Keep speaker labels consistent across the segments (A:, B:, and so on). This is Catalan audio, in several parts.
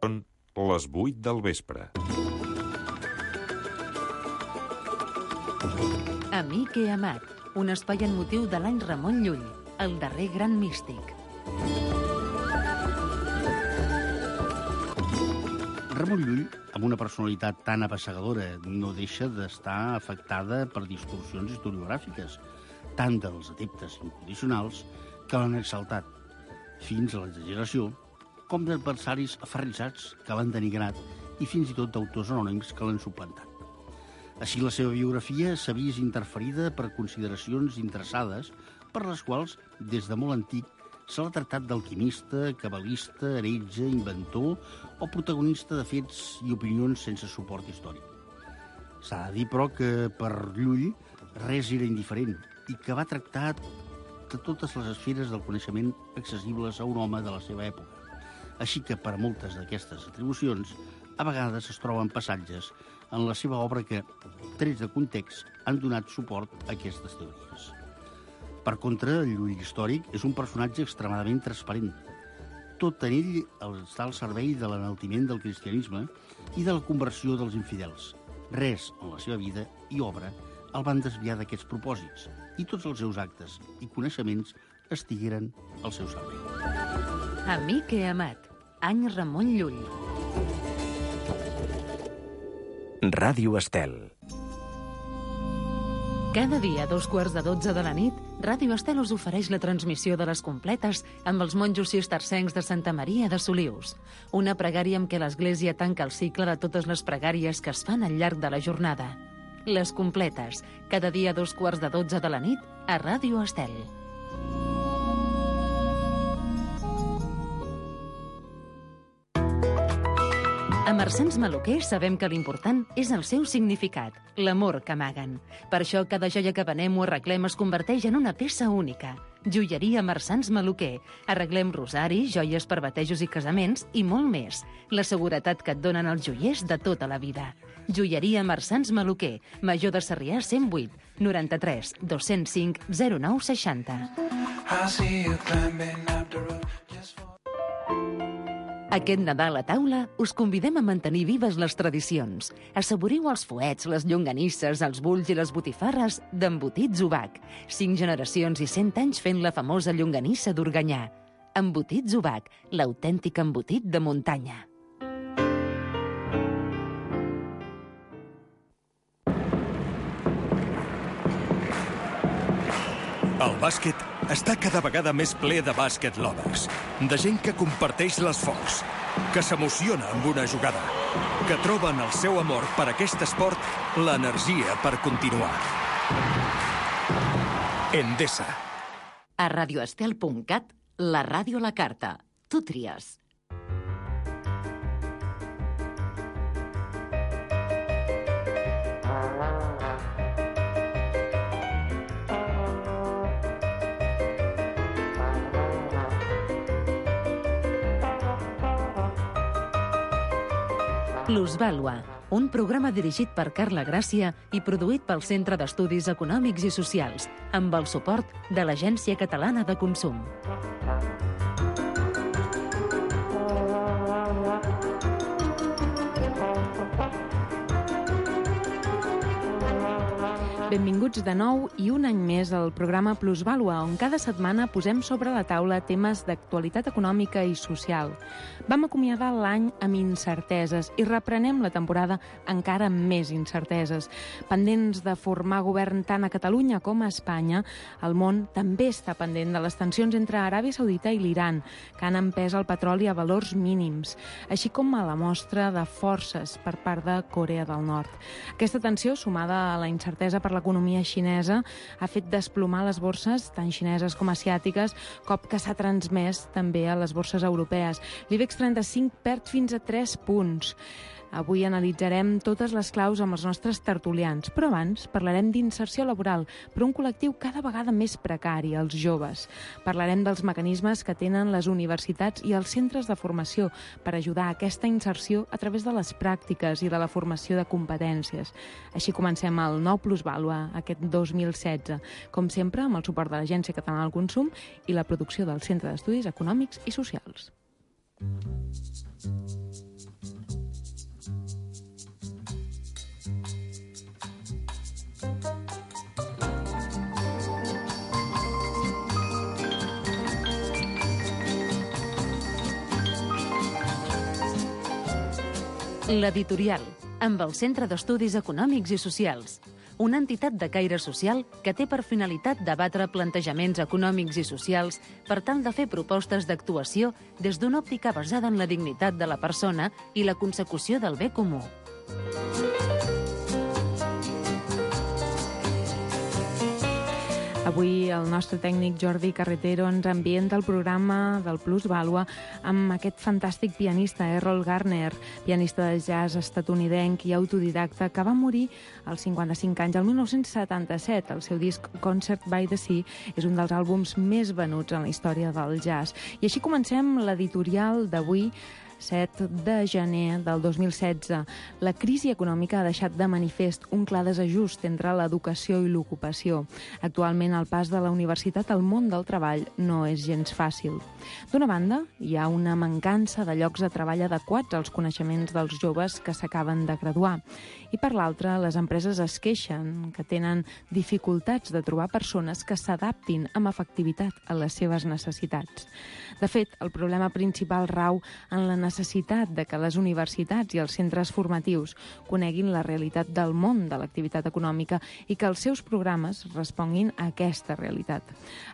A: Són les 8 del vespre.
B: Amic i amat, un espai en motiu de l'any Ramon Llull, el darrer gran místic.
C: Ramon Llull, amb una personalitat tan apassegadora, no deixa d'estar afectada per distorsions historiogràfiques, tant dels adeptes incondicionals que l'han exaltat, fins a l'exageració, com d'adversaris aferrissats que l'han denigrat i fins i tot d'autors anònims que l'han suplantat. Així, la seva biografia s'ha vist interferida per consideracions interessades per les quals, des de molt antic, se l'ha tractat d'alquimista, cabalista, heretge, inventor o protagonista de fets i opinions sense suport històric. S'ha de dir, però, que per Llull res era indiferent i que va tractar de totes les esferes del coneixement accessibles a un home de la seva època. Així que, per moltes d'aquestes atribucions, a vegades es troben passatges en la seva obra que, trets de context, han donat suport a aquestes teories. Per contra, el Llull històric és un personatge extremadament transparent. Tot en ell està al servei de l'enaltiment del cristianisme i de la conversió dels infidels. Res en la seva vida i obra el van desviar d'aquests propòsits i tots els seus actes i coneixements estigueren al seu servei.
B: Amic i amat, any Ramon Llull.
D: Ràdio Estel.
B: Cada dia a 11:45 de la nit, Ràdio Estel us ofereix la transmissió de les completes amb els monjos cistercencs de Santa Maria de Solius. Una pregària amb què l'Església tanca el cicle de totes les pregàries que es fan al llarg de la jornada. Les completes, cada dia a 11:45 de la nit, a Ràdio Estel. A Marsans Maluquer sabem que l'important és el seu significat, l'amor que amaguen. Per això cada joia que venem o arreglem es converteix en una peça única. Joieria Marsans Maluquer. Arreglem rosaris, joies per batejos i casaments i molt més. La seguretat que et donen els joiers de tota la vida. Joieria Marsans Maluquer. Major de Sarrià 108 93 205 09 60. Aquest Nadal a taula us convidem a mantenir vives les tradicions. Assaboriu els fuets, les llonganisses, els bulls i les botifarres d'Embotits Ubac. 5 generacions i 100 anys fent la famosa llonganissa d'Organyà. Embotits Ubac, l'autèntic embotit de muntanya.
E: El bàsquet està cada vegada més ple de bàsquet lovers, de gent que comparteix l'esforç, que s'emociona amb una jugada, que troba en el seu amor per aquest esport l'energia per continuar. Endesa.
B: A radioestel.cat, la ràdio a la carta. Tu tries. Plusvàlua, un programa dirigit per Carla Gràcia i produït pel Centre d'Estudis Econòmics i Socials, amb el suport de l'Agència Catalana de Consum.
F: Benvinguts de nou i un any més al programa Plusvàlua, on cada setmana posem sobre la taula temes d'actualitat econòmica i social. Vam acomiadar l'any amb incerteses i reprenem la temporada encara amb més incerteses. Pendents de formar govern tant a Catalunya com a Espanya, el món també està pendent de les tensions entre Aràbia Saudita i l'Iran, que han empès el petroli a valors mínims, així com a la mostra de forces per part de Corea del Nord. Aquesta tensió, sumada a la incertesa per l'economia xinesa, ha fet desplomar les borses, tant xineses com asiàtiques, cop que s'ha transmès també a les borses europees. L'IBEX 35 perd fins a 3 punts. Avui analitzarem totes les claus amb els nostres tertulians, però abans parlarem d'inserció laboral per un col·lectiu cada vegada més precari, els joves. Parlarem dels mecanismes que tenen les universitats i els centres de formació per ajudar a aquesta inserció a través de les pràctiques i de la formació de competències. Així comencem el nou Plusvàlua, aquest 2016, com sempre amb el suport de l'Agència Catalana del Consum i la producció del Centre d'Estudis Econòmics i Socials.
B: L'Editorial, amb el Centre d'Estudis Econòmics i Socials, una entitat de caire social que té per finalitat debatre plantejaments econòmics i socials per tal de fer propostes d'actuació des d'una òptica basada en la dignitat de la persona i la consecució del bé comú.
F: Avui el nostre tècnic Jordi Carretero ens ambienta el programa del Plusvàlua amb aquest fantàstic pianista, Errol Garner, pianista de jazz estatunidenc i autodidacta que va morir als 55 anys, el 1977. El seu disc Concert by the Sea és un dels àlbums més venuts en la història del jazz. I així comencem l'editorial d'avui, 7 de gener del 2016. La crisi econòmica ha deixat de manifest un clar desajust entre l'educació i l'ocupació. Actualment, el pas de la universitat al món del treball no és gens fàcil. D'una banda, hi ha una mancança de llocs de treball adequats als coneixements dels joves que s'acaben de graduar. I per l'altra, les empreses es queixen que tenen dificultats de trobar persones que s'adaptin amb efectivitat a les seves necessitats. De fet, el problema principal rau en la necessitat de que les universitats i els centres formatius coneguin la realitat del món de l'activitat econòmica i que els seus programes responguin a aquesta realitat.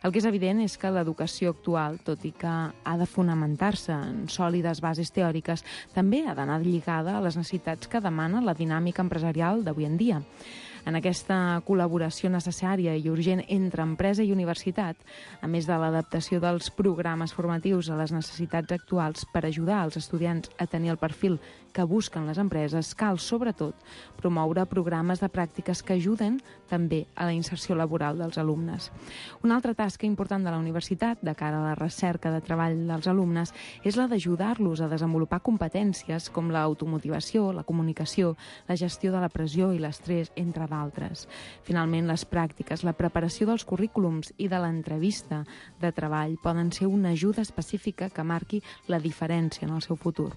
F: El que és evident és que l'educació actual, tot i que ha de fonamentar-se en sòlides bases teòriques, també ha d'anar lligada a les necessitats que demana la dinàmica empresarial d'avui en dia. En aquesta col·laboració necessària i urgent entre empresa i universitat, a més de l'adaptació dels programes formatius a les necessitats actuals per ajudar els estudiants a tenir el perfil que busquen les empreses, cal, sobretot, promoure programes de pràctiques que ajuden també a la inserció laboral dels alumnes. Una altra tasca important de la universitat, de cara a la recerca de treball dels alumnes, és la d'ajudar-los a desenvolupar competències com l'automotivació, la comunicació, la gestió de la pressió i l'estrès, entre d'altres. Finalment, les pràctiques, la preparació dels currículums i de l'entrevista de treball poden ser una ajuda específica que marqui la diferència en el seu futur.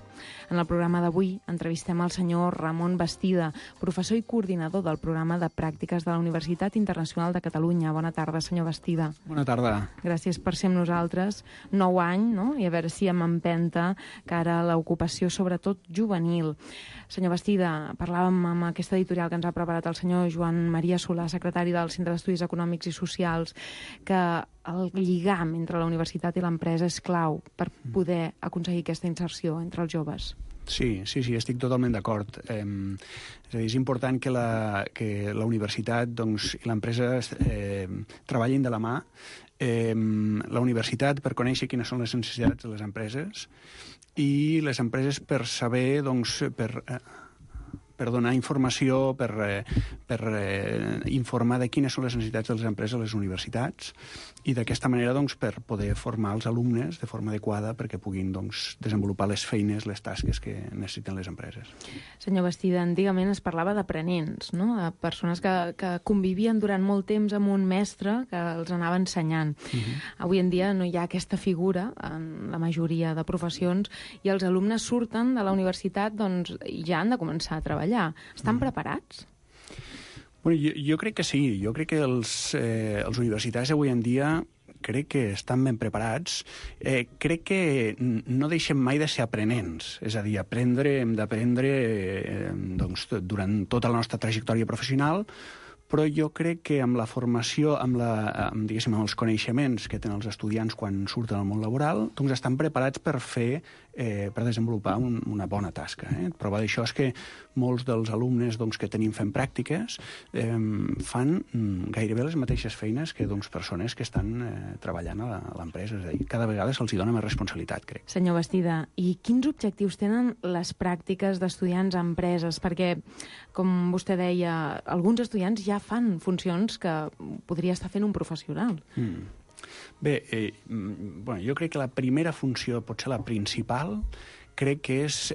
F: En el programa d'avui entrevistem el senyor Ramon Bastida, professor i coordinador del programa de pràctiques de la Universitat Internacional de Catalunya. Bona tarda, senyor Bastida.
G: Bona tarda.
F: Gràcies per ser amb nosaltres. 9 anys, no? I a veure si amb empenta cara a l'ocupació, sobretot juvenil. Senyor Bastida, parlàvem amb aquesta editorial que ens ha preparat el senyor Joan Maria Solà, secretari del Centre d'Estudis Econòmics i Socials, que el lligam entre la universitat i l'empresa és clau per poder aconseguir aquesta inserció entre els joves.
G: Sí, estic totalment d'acord. És a dir, és important que la universitat i l'empresa treballin de la mà. La universitat per conèixer quines són les necessitats de les empreses i les empreses per saber, per donar informació, per informar de quines són les necessitats de les empreses a les universitats i d'aquesta manera per poder formar els alumnes de forma adequada perquè puguin desenvolupar les feines, les tasques que necessiten les empreses.
F: Senyor Bastida, antigament es parlava d'aprenents, no? De persones que convivien durant molt temps amb un mestre que els anava ensenyant. Avui en dia no hi ha aquesta figura en la majoria de professions i els alumnes surten de la universitat i ja han de començar a treballar. Estan preparats?
G: Bueno, jo crec que sí. Jo crec que els universitaris avui en dia crec que estan ben preparats. Crec que no deixem mai de ser aprenents. És a dir, hem d'aprendre durant tota la nostra trajectòria professional, però jo crec que amb la formació, amb els coneixements que tenen els estudiants quan surten al món laboral, estan preparats per desenvolupar una bona tasca. Prova d'això és que molts dels alumnes que tenim fent pràctiques fan gairebé les mateixes feines que persones que estan treballant a l'empresa. És a dir, cada vegada se'ls dona més responsabilitat, crec.
F: Senyor Bastida, i quins objectius tenen les pràctiques d'estudiants a empreses? Perquè, com vostè deia, alguns estudiants ja fan funcions que podria estar fent un professional.
G: Bé, jo crec que la primera funció, potser la principal, crec que és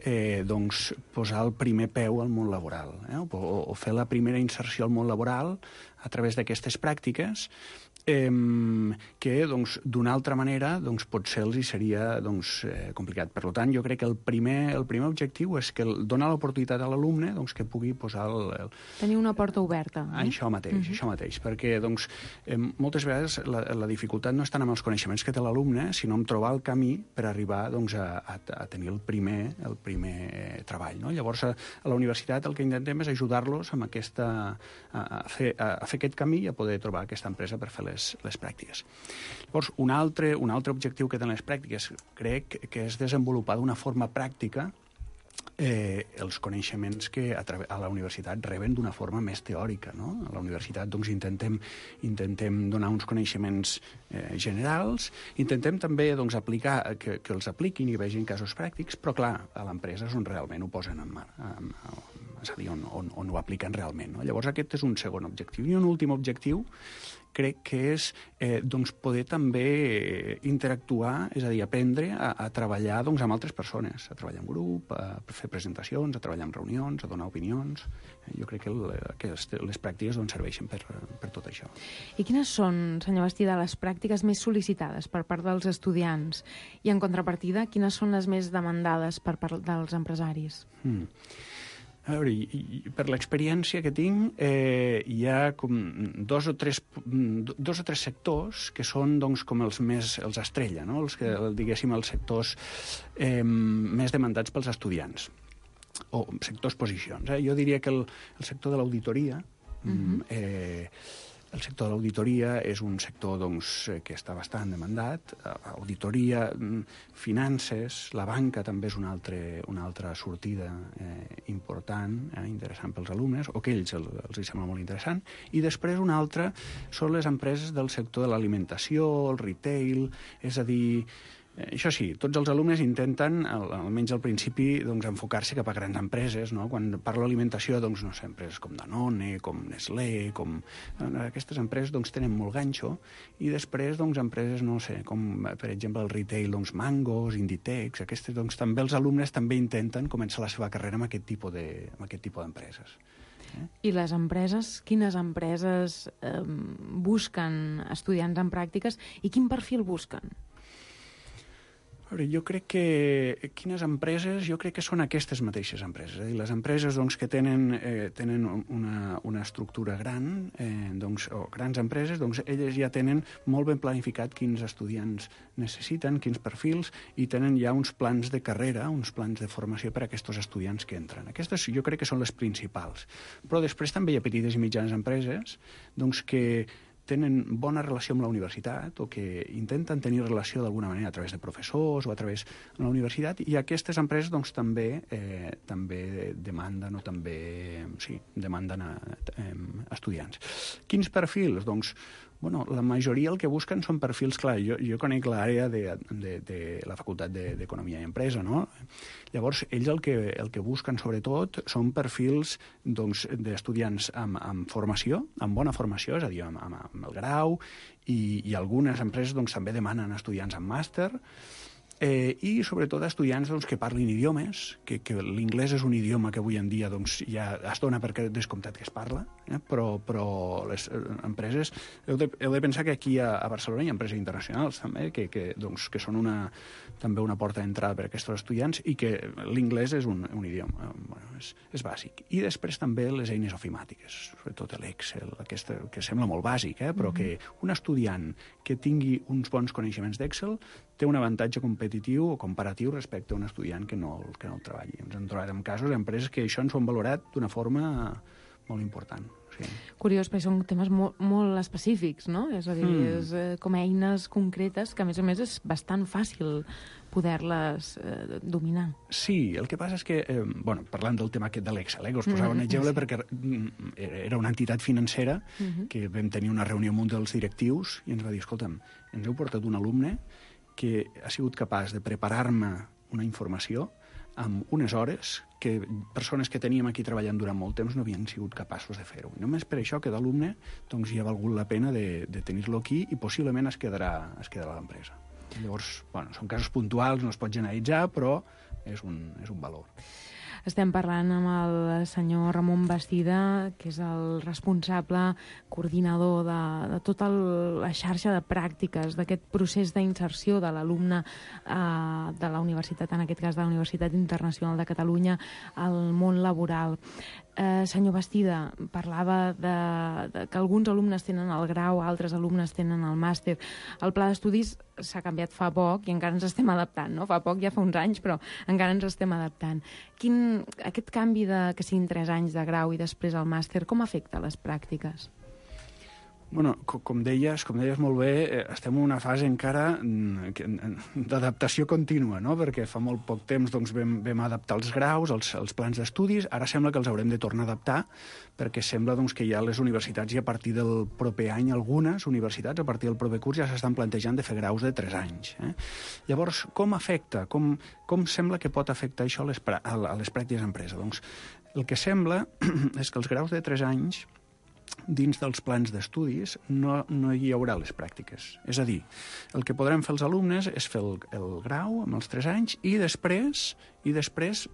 G: posar el primer peu al món laboral, o fer la primera inserció al món laboral a través d'aquestes pràctiques que doncs, d'una altra manera doncs, potser els hi seria doncs, complicat. Per tant, jo crec que el primer objectiu és que donar l'oportunitat a l'alumne doncs, que pugui posar
F: tenir una porta oberta.
G: Això mateix, perquè doncs, moltes vegades la dificultat no és tant amb els coneixements que té l'alumne, sinó en trobar el camí per arribar doncs, a tenir el primer treball. No? Llavors, a la universitat el que intentem és ajudar-los amb a fer aquest camí i a poder trobar aquesta empresa per fer les pràctiques. Llavors, un altre objectiu que tenen les pràctiques crec que és desenvolupar d'una forma pràctica els coneixements que a la universitat reben d'una forma més teòrica. No? A la universitat doncs, intentem donar uns coneixements generals, intentem també doncs, aplicar, que els apliquin i vegin casos pràctics, però clar, a l'empresa és on realment ho posen en mà, és a dir, on ho apliquen realment. No? Llavors aquest és un segon objectiu. I un últim objectiu crec que és doncs, poder també interactuar, és a dir, aprendre a treballar doncs, amb altres persones, a treballar en grup, a fer presentacions, a treballar en reunions, a donar opinions. Jo crec que les pràctiques doncs, serveixen per tot això.
F: I quines són, senyor Bastida, les pràctiques més sol·licitades per part dels estudiants? I en contrapartida, quines són les més demandades per part dels empresaris?
G: A veure, per l'experiència que tinc, hi ha com dos o tres sectors que són doncs, com els estrella, no? Diguéssim, els sectors més demandats pels estudiants, o sectors posicions. Jo diria que el sector de l'auditoria, el sector de l'auditoria és un sector doncs, que està bastant demandat. Auditoria, finances, la banca també és una altra sortida important, interessant pels alumnes, o que ells els sembla molt interessant. I després una altra són les empreses del sector de l'alimentació, el retail, és a dir, això sí, tots els alumnes intenten, almenys al principi, doncs, enfocar-se cap a grans empreses. No? Quan parlo d'alimentació, doncs, no sé, empreses com Danone, com Nestlé, aquestes empreses doncs, tenen molt ganxo, i després doncs, empreses, no sé, com per exemple el retail, doncs, Mangos, Inditex, aquestes, doncs, també els alumnes també intenten començar la seva carrera amb aquest tipus d'empreses.
F: I les empreses, quines empreses busquen estudiants en pràctiques i quin perfil busquen?
G: Jo crec que quines empreses, jo crec que són aquestes mateixes empreses. Les empreses doncs, que tenen una estructura gran, o grans empreses, doncs, elles ja tenen molt ben planificat quins estudiants necessiten, quins perfils, i tenen ja uns plans de carrera, uns plans de formació per a aquests estudiants que entren. Aquestes jo crec que són les principals. Però després també hi ha petites i mitjanes empreses doncs, que tenen bona relació amb la universitat o que intenten tenir relació d'alguna manera a través de professors o a través de la universitat, i aquestes empreses doncs, també demanden estudiants. Quins perfils? Doncs, la majoria el que busquen són perfils, clar, jo conec l'àrea de la Facultat d'Economia i Empresa, no? Llavors, ells el que busquen sobretot són perfils doncs, d'estudiants amb formació, amb bona formació, és a dir, amb el grau, i algunes empreses doncs, també demanen estudiants amb màster, i sobretot estudiants doncs, que parlin idiomes, que l'inglès és un idioma que avui en dia doncs, ja es dona per descomptat que es parla, però les empreses, heu de pensar que aquí a Barcelona hi ha empreses internacionals també, que són també una porta d'entrada per a aquests estudiants, i que l'inglès és un idioma, és bàsic. I després també les eines ofimàtiques, sobretot l'Excel, que sembla molt bàsic, però que un estudiant que tingui uns bons coneixements d'Excel té un avantatge competitiu o comparatiu respecte a un estudiant que no el treballi. Ens hem trobat en casos d'empreses que això ens ho han valorat d'una forma molt important. Sí.
F: Curiós, perquè són temes molt específics, no? És a dir, és com eines concretes que, a més és bastant fàcil poder-les dominar.
G: Sí, el que passa és que, parlant del tema aquest de l'Excel, que us posava un exemple perquè era una entitat financera que vam tenir una reunió amb un dels directius i ens va dir, escolta'm, ens heu portat un alumne que ha sigut capaç de preparar-me una informació amb unes hores que persones que teníem aquí treballant durant molt temps no havien sigut capaços de fer-ho. I només per això que d'alumne doncs, hi ha valgut la pena de tenir-lo aquí i possiblement es quedarà a l'empresa. Llavors, són casos puntuals, no es pot generalitzar, però és un valor.
F: Estem parlant amb el senyor Ramon Bastida, que és el responsable, coordinador de tota la xarxa de pràctiques, d'aquest procés d'inserció de l'alumne de la universitat, en aquest cas de la Universitat Internacional de Catalunya, al món laboral. Senyor Bastida, parlava de que alguns alumnes tenen el grau, altres alumnes tenen el màster. El pla d'estudis s'ha canviat fa poc i encara ens estem adaptant, no? Fa poc, ja fa uns anys, però encara ens estem adaptant. Aquest canvi que siguin 3 anys de grau i després el màster, com afecta les pràctiques?
G: Bueno, com deies molt bé, estem en una fase encara d'adaptació contínua, no? Perquè fa molt poc temps doncs, vam adaptar els graus, els plans d'estudis, ara sembla que els haurem de tornar a adaptar, perquè sembla doncs, que ja les universitats, i a partir del proper any, algunes universitats, a partir del proper curs, ja s'estan plantejant de fer graus de 3 anys. Llavors, com afecta? Com sembla que pot afectar això a les pràctiques d'empresa? Doncs el que sembla és que els graus de 3 anys dins dels plans d'estudis no hi haurà les pràctiques. És a dir, el que podrem fer els alumnes és fer el grau amb els 3 anys i després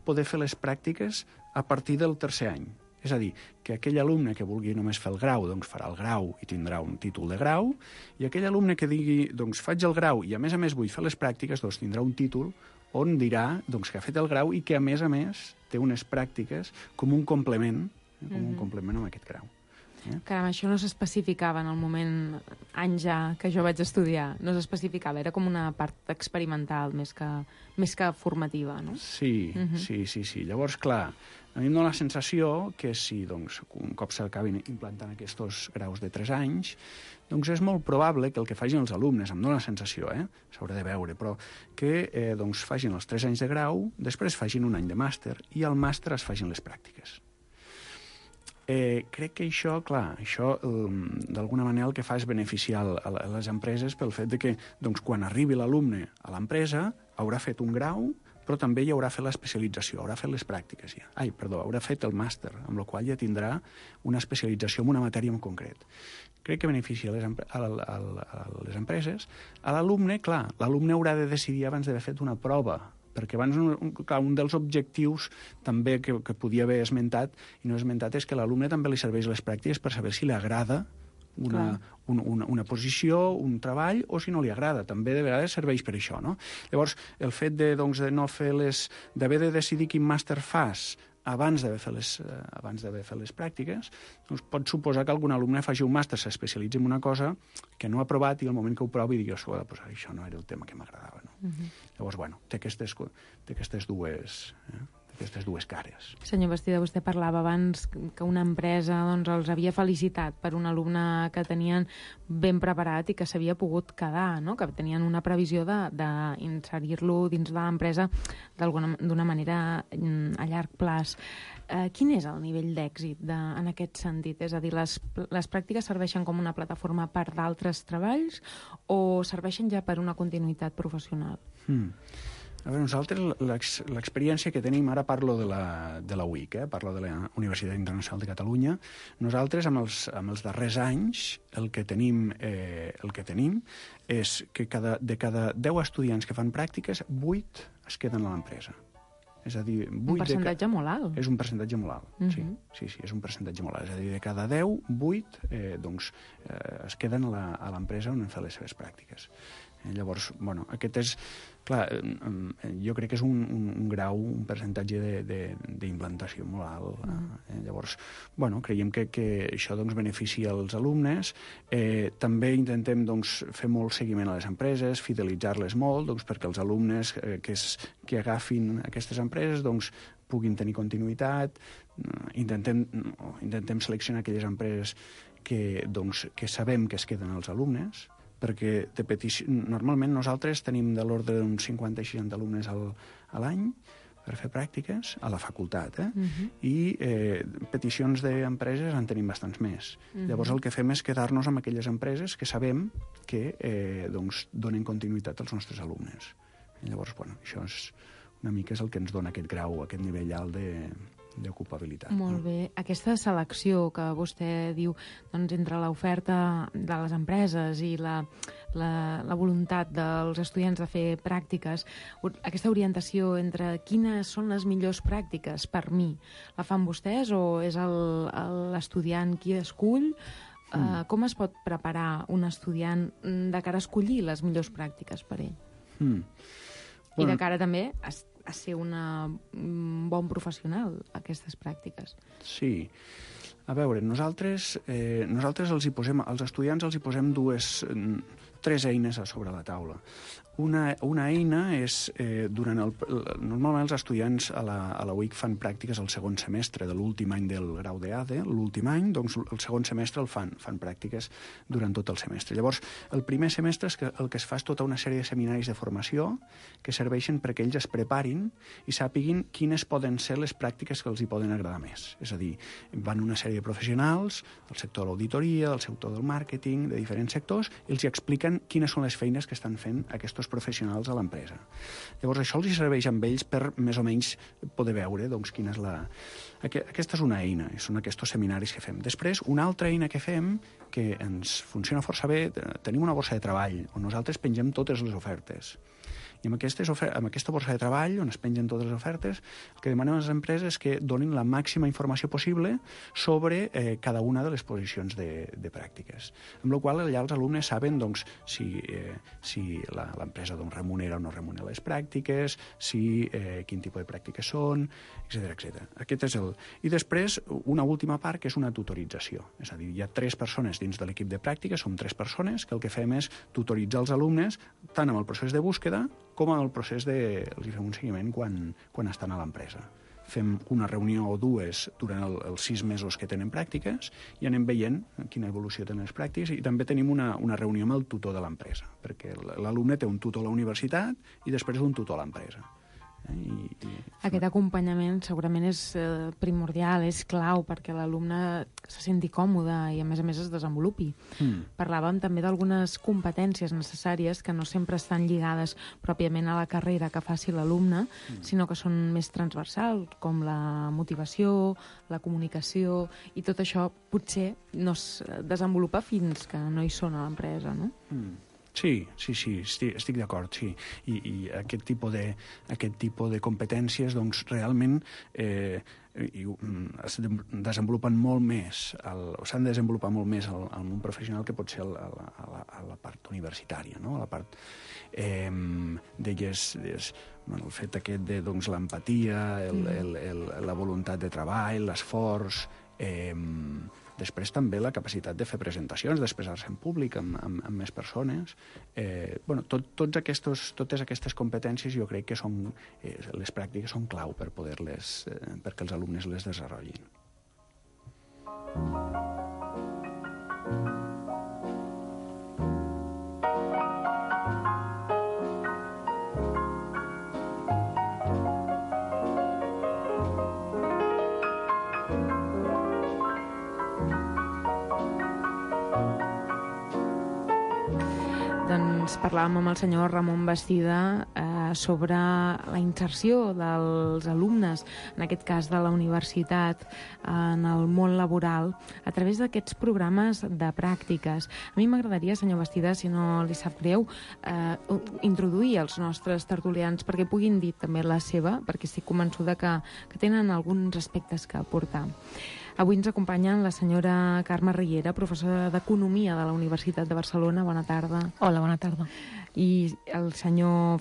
G: poder fer les pràctiques a partir del 3è any. És a dir, que aquell alumne que vulgui només fer el grau, doncs farà el grau i tindrà un títol de grau, i aquell alumne que digui, doncs faig el grau i a més vull fer les pràctiques, doncs tindrà un títol on dirà doncs, que ha fet el grau i que a més té unes pràctiques com un complement, amb aquest grau.
F: Caram, això no s'especificava en el moment, anys ja que jo vaig estudiar, no s'especificava, era com una part experimental més que formativa, no?
G: Sí. Llavors, clar, a mi em dóna la sensació que si doncs, un cop s'acabin implantant aquests graus de 3 anys, doncs és molt probable que el que facin els alumnes, em dóna la sensació, s'haurà de veure, però que doncs, facin els 3 anys de grau, després facin un any de màster i al màster es facin les pràctiques. Crec que això d'alguna manera el que fa és beneficiar a les empreses pel fet de que doncs, quan arribi l'alumne a l'empresa haurà fet un grau, però també hi haurà fet l'especialització, haurà fet les pràctiques ja. Haurà fet el màster, amb la qual ja tindrà una especialització en una matèria en concret. Crec que beneficia a les empreses. A l'alumne, clar, l'alumne haurà de decidir abans d'haver fet una prova, perquè abans un dels objectius també que podia haver esmentat i no he esmentat és que a l'alumne també li serveix les pràctiques per saber si li agrada una posició, un treball, o si no li agrada. També de vegades serveix per això, no? Llavors, el fet de no fer d'haver de decidir quin màster fas abans d'haver fet les pràctiques, doncs pot suposar que algun alumne faci un màster, s'especialitzi en una cosa que no ha provat i al moment que ho provi digui, això no era el tema que m'agradava. No? Llavors, té aquestes dues cares.
F: Senyor Bastida, vostè parlava abans que una empresa els havia felicitat per un alumne que tenien ben preparat i que s'havia pogut quedar, no? Que tenien una previsió d'inserir-lo dins de l'empresa d'una manera a llarg plaç. Quin és el nivell d'èxit en aquest sentit? És a dir, les pràctiques serveixen com una plataforma per d'altres treballs o serveixen ja per una continuïtat professional?
G: A veure, nosaltres l'experiència que tenim, ara parlo de la UIC, parlo de la Universitat Internacional de Catalunya, nosaltres amb els darrers anys el que tenim és que de cada 10 estudiants que fan pràctiques, 8 es queden a l'empresa. És a dir,
F: un percentatge molt alt.
G: És un percentatge molt alt, sí, és un percentatge molt alt. És a dir, de cada 10, 8 es queden a l'empresa on han fet les seves pràctiques. Llavors, aquest és, clar, jo crec que és un grau, un percentatge d'implantació molt alt. Llavors, creiem que això beneficia els alumnes. També intentem fer molt seguiment a les empreses, fidelitzar-les molt, perquè els alumnes que agafin aquestes empreses puguin tenir continuïtat. Intentem seleccionar aquelles empreses que sabem que es queden els alumnes, perquè normalment nosaltres tenim de l'ordre d'uns 50 i 60 alumnes a l'any per fer pràctiques a la facultat, i peticions d'empreses en tenim bastants més. Llavors el que fem és quedar-nos amb aquelles empreses que sabem que donen continuïtat als nostres alumnes. Llavors, això és una mica el que ens dona aquest grau, aquest nivell alt d'ocupabilitat.
F: Molt bé. Aquesta selecció que vostè diu entre l'oferta de les empreses i la la voluntat dels estudiants de fer pràctiques, aquesta orientació entre quines són les millors pràctiques per mi, la fan vostès o és l'estudiant qui escull? Com es pot preparar un estudiant de cara a escollir les millors pràctiques per ell? I de cara també a ser un bon professional, aquestes pràctiques.
G: Sí. A veure, nosaltres els estudiants els hi posem tres eines a sobre la taula. Una eina és, normalment els estudiants a la UIC fan pràctiques al segon semestre de l'últim any del grau d'EADE, l'últim any, doncs el segon semestre el fan pràctiques durant tot el semestre. Llavors, el primer semestre el que es fa és tota una sèrie de seminaris de formació que serveixen perquè ells es preparin i sàpiguin quines poden ser les pràctiques que els hi poden agradar més. És a dir, van una sèrie de professionals, del sector de l'auditoria, del sector del màrqueting, de diferents sectors, i els hi expliquen quines són les feines que estan fent aquests professionals a l'empresa. Llavors, això els serveix amb ells per més o menys poder veure doncs, quina és Aquesta és una eina, són aquests seminaris que fem. Després, una altra eina que fem, que ens funciona força bé, tenim una borsa de treball, on nosaltres pengem totes les ofertes. I amb aquesta borsa de treball, on es pengen totes les ofertes, el que demanem a les empreses és que donin la màxima informació possible sobre cada una de les posicions de pràctiques. Amb la qual cosa allà els alumnes saben doncs, si l'empresa remunera o no remunera les pràctiques, quin tipus de pràctiques són, etc. Aquest és I després, una última part, que és una tutorització. És a dir, hi ha 3 persones dins de l'equip de pràctiques, som 3 persones, que el que fem és tutoritzar els alumnes tant amb el procés de búsqueda com en el procés els fem un seguiment quan estan a l'empresa. Fem una reunió o dues durant els 6 mesos que tenen pràctiques i anem veient quina evolució tenen les pràctiques i també tenim una reunió amb el tutor de l'empresa, perquè l'alumne té un tutor a la universitat i després un tutor a l'empresa.
F: Aquest acompanyament segurament és primordial, és clau perquè l'alumne se senti còmode i a més es desenvolupi. Parlàvem també d'algunes competències necessàries que no sempre estan lligades pròpiament a la carrera que faci l'alumne, sinó que són més transversals, com la motivació, la comunicació, i tot això potser no es desenvolupa fins que no hi són a l'empresa, no?
G: Sí, estic d'acord, sí. I aquest tipus de competències, doncs, realment es desenvolupen molt més, s'han de desenvolupar molt més al món professional que pot ser a la part universitària, no? A la part d'elles, el fet aquest de l'empatia, la voluntat de treball, l'esforç, després també la capacitat de fer presentacions, d'expressar-se en públic amb més persones. Totes aquestes competències jo crec que les pràctiques són clau perquè els alumnes les desenvolupin.
F: Doncs parlàvem amb el senyor Ramon Bastida sobre la inserció dels alumnes, en aquest cas de la universitat, en el món laboral, a través d'aquests programes de pràctiques. A mi m'agradaria, senyor Bastida, si no li sap greu, introduir els nostres tertulians perquè puguin dir també la seva, perquè estic convençuda que tenen alguns aspectes que aportar. Avui ens acompanyen la senyora Carme Riera, professora d'Economia de la Universitat de Barcelona. Bona tarda.
H: Hola, bona tarda.
F: I el senyor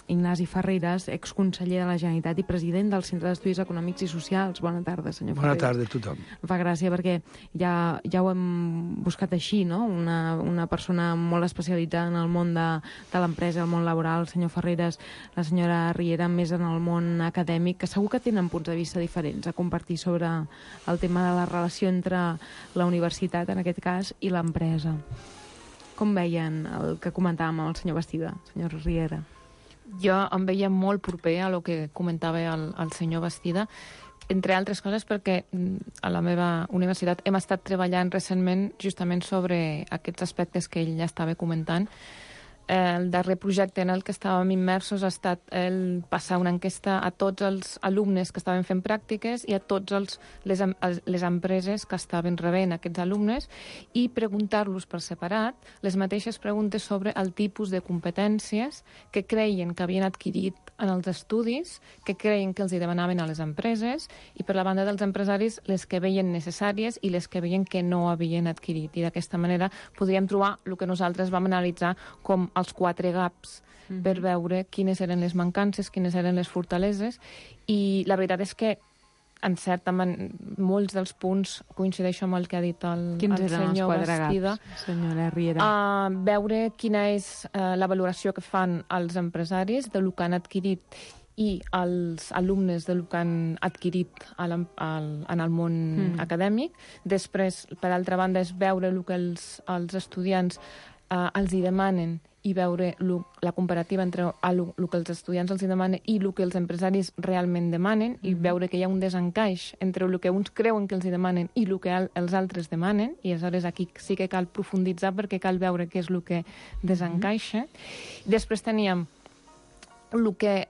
F: Ignasi Ferreres, exconseller de la Generalitat i president del Centre d'Estudis Econòmics i Socials. Bona tarda, senyor Ferreres.
I: Bona tarda a tothom.
F: Em fa gràcia perquè ja ho hem buscat així, no? Una persona molt especialitzada en el món de l'empresa, el món laboral, el senyor Ferreres, la senyora Riera més en el món acadèmic, que segur que tenen punts de vista diferents a compartir sobre el tema de la relació entre la universitat, en aquest cas, i l'empresa. Com veien el que comentàvem amb el senyor Bastida, senyor Riera?
H: Jo em veia molt proper a el que comentava el senyor Bastida, entre altres coses perquè a la meva universitat hem estat treballant recentment justament sobre aquests aspectes que ell ja estava comentant. el darrer projecte en el que estàvem immersos ha estat el passar una enquesta a tots els alumnes que estaven fent pràctiques i a tots les empreses que estaven rebent aquests alumnes i preguntar-los per separat les mateixes preguntes sobre el tipus de competències que creien que havien adquirit en els estudis, que creien que els hi demanaven a les empreses i per la banda dels empresaris les que veien necessàries i les que veien que no havien adquirit. I d'aquesta manera podríem trobar el que nosaltres vam analitzar com els 4 gaps per veure quines eren les mancances, quines eren les fortaleses, i la veritat és que en certa molts dels punts coincideixo amb el que ha dit el senyor Bastida.
F: Senyora Riera?
H: Veure quina és la valoració que fan els empresaris del que han adquirit i els alumnes del que han adquirit en el món acadèmic. Després, per altra banda, és veure el que els estudiants els hi demanen i veure la comparativa entre el que els estudiants els hi demanen i el que els empresaris realment demanen i veure que hi ha un desencaix entre el que uns creuen que els hi demanen i el que els altres demanen, i aleshores aquí sí que cal profunditzar perquè cal veure què és el que desencaixa. Després teníem el que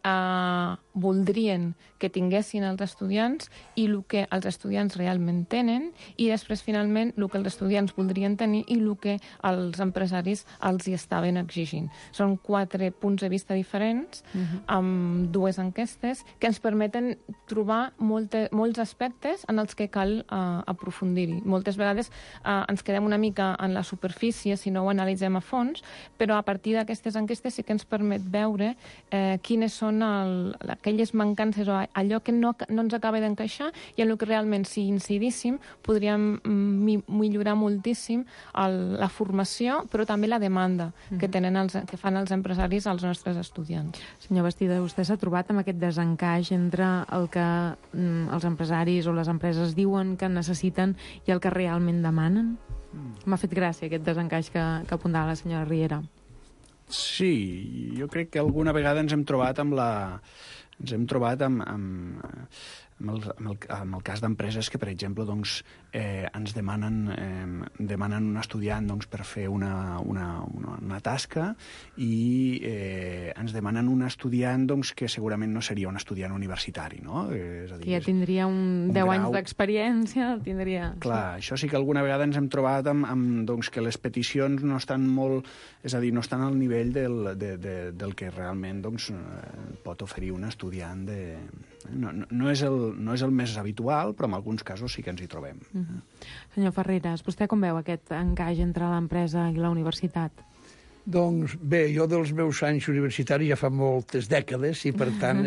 H: voldrien que tinguessin els estudiants i el que els estudiants realment tenen, i després, finalment, el que els estudiants voldrien tenir i el que els empresaris els hi estaven exigint. Són 4 punts de vista diferents, amb 2 enquestes, que ens permeten trobar molts aspectes en els que cal aprofundir-hi. Moltes vegades ens quedem una mica en la superfície si no ho analitzem a fons, però a partir d'aquestes enquestes sí que ens permet veure quines són aquelles mancances o allò que no ens acaba d'encaixar i en el que realment, si incidíssim, podríem millorar moltíssim la formació, però també la demanda que fan els empresaris als nostres estudiants.
F: Senyor Bastida, vostè s'ha trobat amb aquest desencaix entre el que els empresaris o les empreses diuen que necessiten i el que realment demanen? M'ha fet gràcia aquest desencaix que apuntava la senyora Riera.
G: Sí, jo crec que alguna vegada ens hem trobat amb el cas d'empreses que, per exemple, doncs, ens demanen un estudiant per fer una tasca i ens demanen un estudiant que segurament no seria un estudiant universitari, no? És a dir,
F: que ja tindria 10 anys d'experiència, tindria...
G: Clar, això sí que alguna vegada ens hem trobat amb que les peticions no estan molt... És a dir, no estan al nivell del que realment pot oferir un estudiant de... No és el més habitual, però en alguns casos sí que ens hi trobem.
F: Senyor Ferreras, vostè com veu aquest encaix entre l'empresa i la universitat?
I: Doncs bé, jo dels meus anys universitaris ja fa moltes dècades i per tant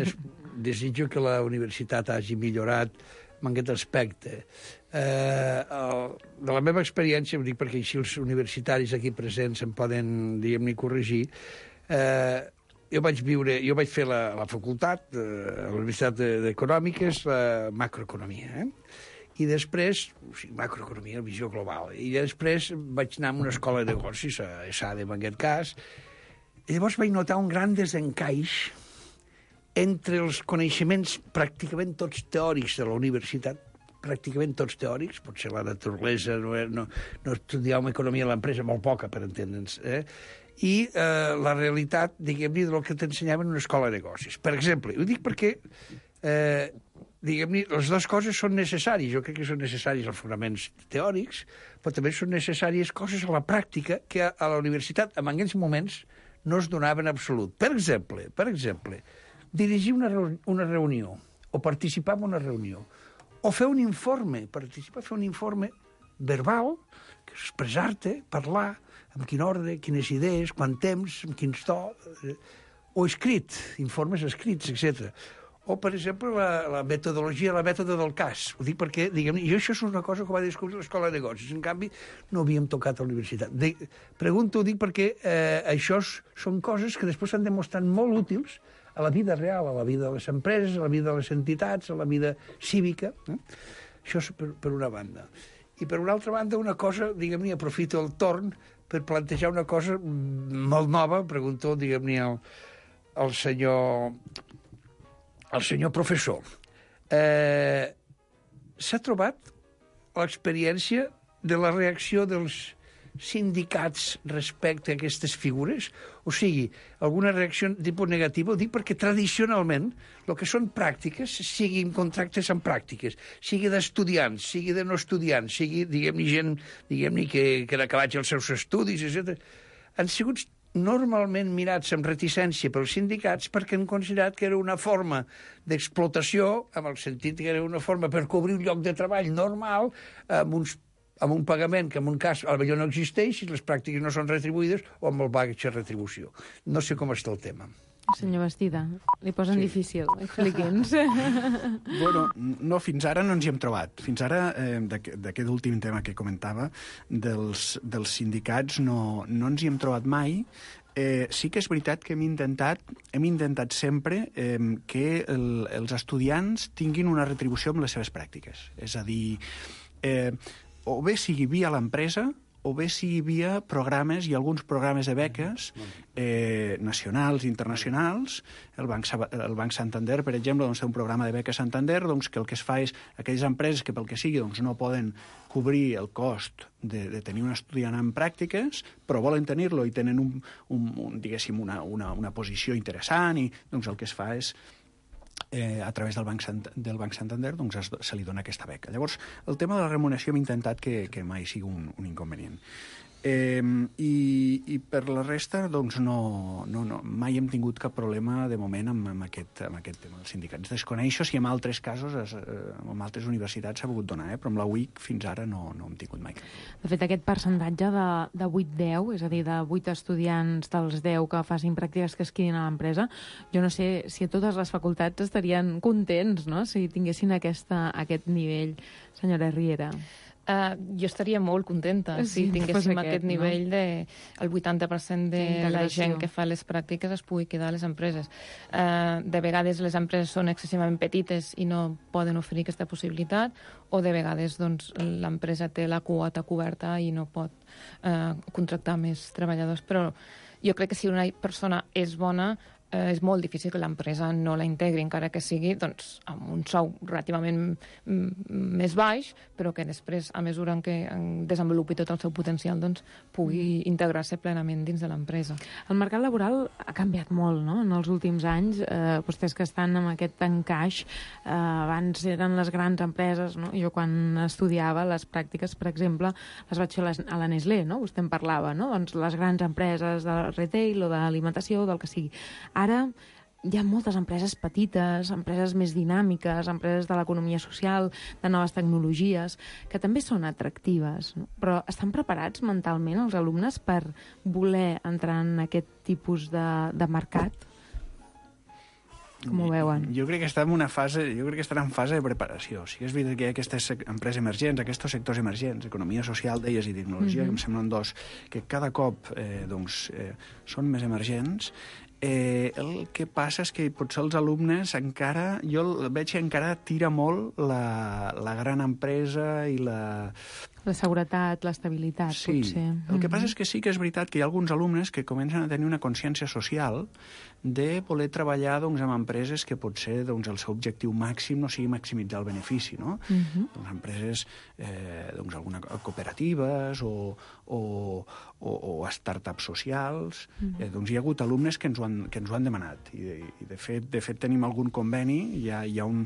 I: desitjo que la universitat hagi millorat en aquest aspecte. De la meva experiència, ho dic perquè així els universitaris aquí presents em poden, diguem-ne, corregir, jo vaig fer la facultat, a la Universitat d'Econòmiques, la macroeconomia, i després, macroeconomia, visió global, i després vaig anar a una escola de negocis, a ESADE en aquest cas, i llavors vaig notar un gran desencaix entre els coneixements pràcticament tots teòrics de la universitat, pràcticament tots teòrics, potser la naturalesa, no estudiàvem economia a l'empresa, molt poca, per entendre'ns, i la realitat, diguem-ne, del que t'ensenyaven en una escola de negocis. Per exemple, ho dic perquè, diguem-ne, les dues coses són necessàries. Jo crec que són necessaris els fonaments teòrics, però també són necessàries coses a la pràctica que a la universitat, en aquells moments, no es donaven en absolut. Per exemple, dirigir una reunió, o participar en una reunió, o fer un informe, fer un informe verbal, expressar-te, parlar, amb quin ordre, quines idees, quant temps, amb quin to, o escrit, informes escrits, etc. O, per exemple, la metodologia, la mètode del cas. Ho dic perquè, diguem-ne, jo això és una cosa que va descobrir l'escola de negocis. En canvi, no havíem tocat a la universitat. Ho dic perquè això són coses que després s'han demostrat molt útils a la vida real, a la vida de les empreses, a la vida de les entitats, a la vida cívica. Això és per una banda. I per una altra banda, una cosa, diguem-ne, aprofito el torn per plantejar una cosa molt nova, pregunto, diguem-ne, al senyor professor. S'ha trobat l'experiència de la reacció dels sindicats respecte a aquestes figures? O sigui, alguna reacció de tipus negatiu? Ho dic perquè tradicionalment el que són pràctiques, siguin contractes amb pràctiques, sigui d'estudiants, sigui de no estudiants, sigui, diguem-ne, gent que han acabat els seus estudis, etc., han sigut normalment mirats amb reticència pels sindicats perquè han considerat que era una forma d'explotació, amb el sentit que era una forma per cobrir un lloc de treball normal, amb un pagament que en un cas potser no existeix, si les pràctiques no són retribuïdes, o amb el baixa retribució. No sé com està el tema.
F: Senyor Bastida, li posen difícil. Expliqui'ns.
G: Bueno, no, fins ara no ens hi hem trobat. Fins ara, d'aquest últim tema que comentava, dels sindicats, no ens hi hem trobat mai. Sí que és veritat que hem intentat sempre que els estudiants tinguin una retribució amb les seves pràctiques. És a dir, o bé sigui via l'empresa, o bé sigui via programes i alguns programes de beques nacionals i internacionals. El Banc Santander, per exemple, té un programa de beques Santander que el que es fa és aquelles empreses que pel que sigui no poden cobrir el cost de tenir un estudiant en pràctiques, però volen tenir-lo i tenen diguéssim, una posició interessant, i el que es fa és a través del Banc Santander se li dona aquesta beca. Llavors, el tema de la remuneració hem intentat que mai sigui un inconvenient. I per la resta, mai hem tingut cap problema de moment amb aquest tema dels sindicats. Desconeixo si en altres casos, en altres universitats s'ha pogut donar, però amb la UIC fins ara no hem tingut mai cap problema.
F: De fet, aquest percentatge de 8-10, és a dir, de 8 estudiants dels 10 que facin pràctiques que es quedin a l'empresa, jo no sé si a totes les facultats estarien contents, no?, si tinguessin aquest nivell. Senyora Riera.
H: Jo estaria molt contenta si tinguéssim aquest nivell el 80% de la gent que fa les pràctiques es pugui quedar a les empreses. De vegades les empreses són excessivament petites i no poden oferir aquesta possibilitat, o de vegades l'empresa té la quota coberta i no pot contractar més treballadors. Però jo crec que si una persona és bona, és molt difícil que l'empresa no la integri, encara que sigui amb un sou relativament més baix, però que després, a mesura que desenvolupi tot el seu potencial, pugui integrar-se plenament dins de l'empresa.
F: El mercat laboral ha canviat molt, no?, en els últims anys. Vostès que estan amb aquest encaix, abans eren les grans empreses, no? Jo quan estudiava les pràctiques, per exemple, les vaig fer a la Nestlé, no?, vostè en parlava, no?, les grans empreses de retail o d'alimentació, del que sigui. Ara hi ha moltes empreses petites, empreses més dinàmiques, empreses de l'economia social, de noves tecnologies, que també són atractives, no? Però estan preparats mentalment els alumnes per voler entrar en aquest tipus de mercat? Com ho veuen?
G: Jo crec que estan en fase de preparació. Sí que és veritat que hi ha aquestes empreses emergents, aquests sectors emergents, economia social, deies, i tecnologia, que em semblen dos, que cada cop són més emergents. El que passa és que potser els alumnes encara, jo veig que encara tira molt la gran empresa i la
F: seguretat, l'estabilitat, potser.
G: El que passa és que sí que és veritat que hi ha alguns alumnes que comencen a tenir una consciència social de voler treballar amb empreses que potser el seu objectiu màxim no sigui maximitzar el benefici, no? Empreses, algunes cooperatives o startups socials. Hi ha hagut alumnes que ens ho han demanat i de fet tenim algun conveni. Hi ha un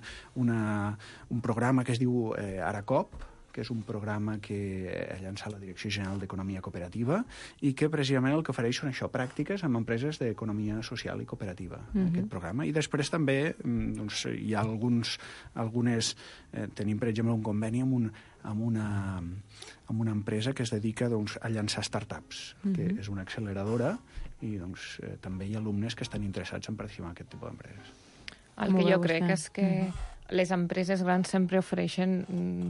G: programa que es diu Aracop, que és un programa que ha llançat la Direcció General d'Economia Cooperativa i que precisament el que ofereix són pràctiques amb empreses d'economia social i cooperativa, aquest programa. I després també hi ha algunes... Tenim, per exemple, un conveni amb una empresa que es dedica a llançar startups, que és una acceleradora, i també hi ha alumnes que estan interessats en participar en aquest tipus d'empreses.
H: El que jo crec és que les empreses grans sempre ofereixen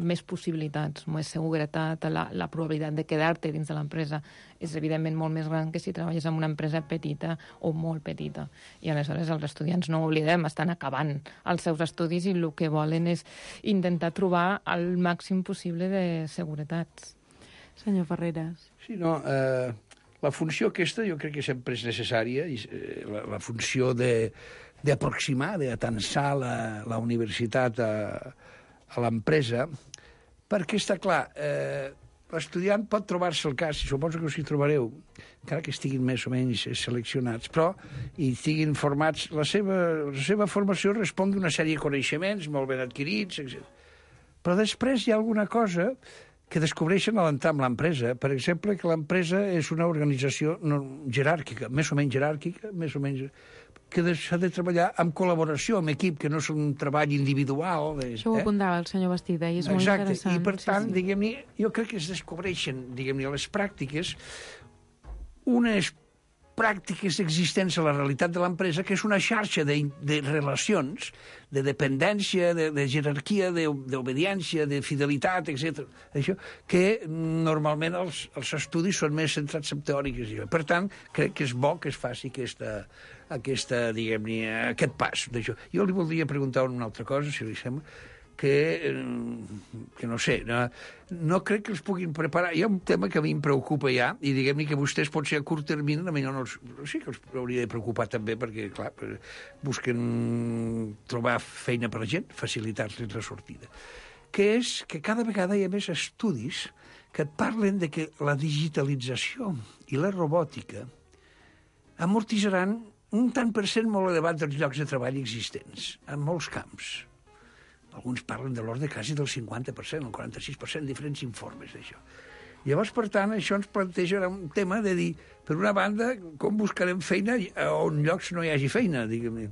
H: més possibilitats, més seguretat, la probabilitat de quedar-te dins de l'empresa és evidentment molt més gran que si treballes en una empresa petita o molt petita. I aleshores els estudiants, no ho oblidem, estan acabant els seus estudis i el que volen és intentar trobar el màxim possible de seguretats.
F: Senyor Ferreras.
I: Sí, no, la funció aquesta jo crec que sempre és necessària, la funció d'aproximar, d'atansar la universitat a l'empresa, perquè està clar, l'estudiant pot trobar-se el cas, i suposo que us hi trobareu, encara que estiguin més o menys seleccionats, però i estiguin formats, la seva formació respon d'una sèrie de coneixements molt ben adquirits, etc. Però després hi ha alguna cosa que descobreixen a l'entrar en l'empresa. Per exemple, que l'empresa és una organització jeràrquica, més o menys jeràrquica, més o menys que s'ha de treballar amb col·laboració, amb equip, que no és un treball individual.
F: Això ho apuntava el senyor Bastida, i és molt interessant.
I: I per tant, diguem-ne, jo crec que es descobreixen, diguem-ne, les pràctiques, unes pràctiques existents a la realitat de l'empresa, que és una xarxa de relacions, de dependència, de jerarquia, d'obediència, de fidelitat, etc. Això, que normalment els estudis són més centrats en teòriques. Per tant, crec que és bo que es faci diguem-ne, aquest pas d'això. Jo li voldria preguntar una altra cosa, si li sembla, que no sé, no crec que els puguin preparar. Hi ha un tema que a mi em preocupa ja, i diguem-ne que vostès potser a curt termini sí que els hauria de preocupar també, perquè, clar, busquen trobar feina per a la gent, facilitar-los la sortida. Que és que cada vegada hi ha més estudis que et parlen de que la digitalització i la robòtica amortitzaran un tant per cent molt elevat dels llocs de treball existents, en molts camps. Alguns parlen de l'ordre quasi del 50%, el 46%, diferents informes d'això. Llavors, per tant, això ens planteja un tema de dir, per una banda, com buscarem feina on llocs no hi hagi feina, diguem-ne,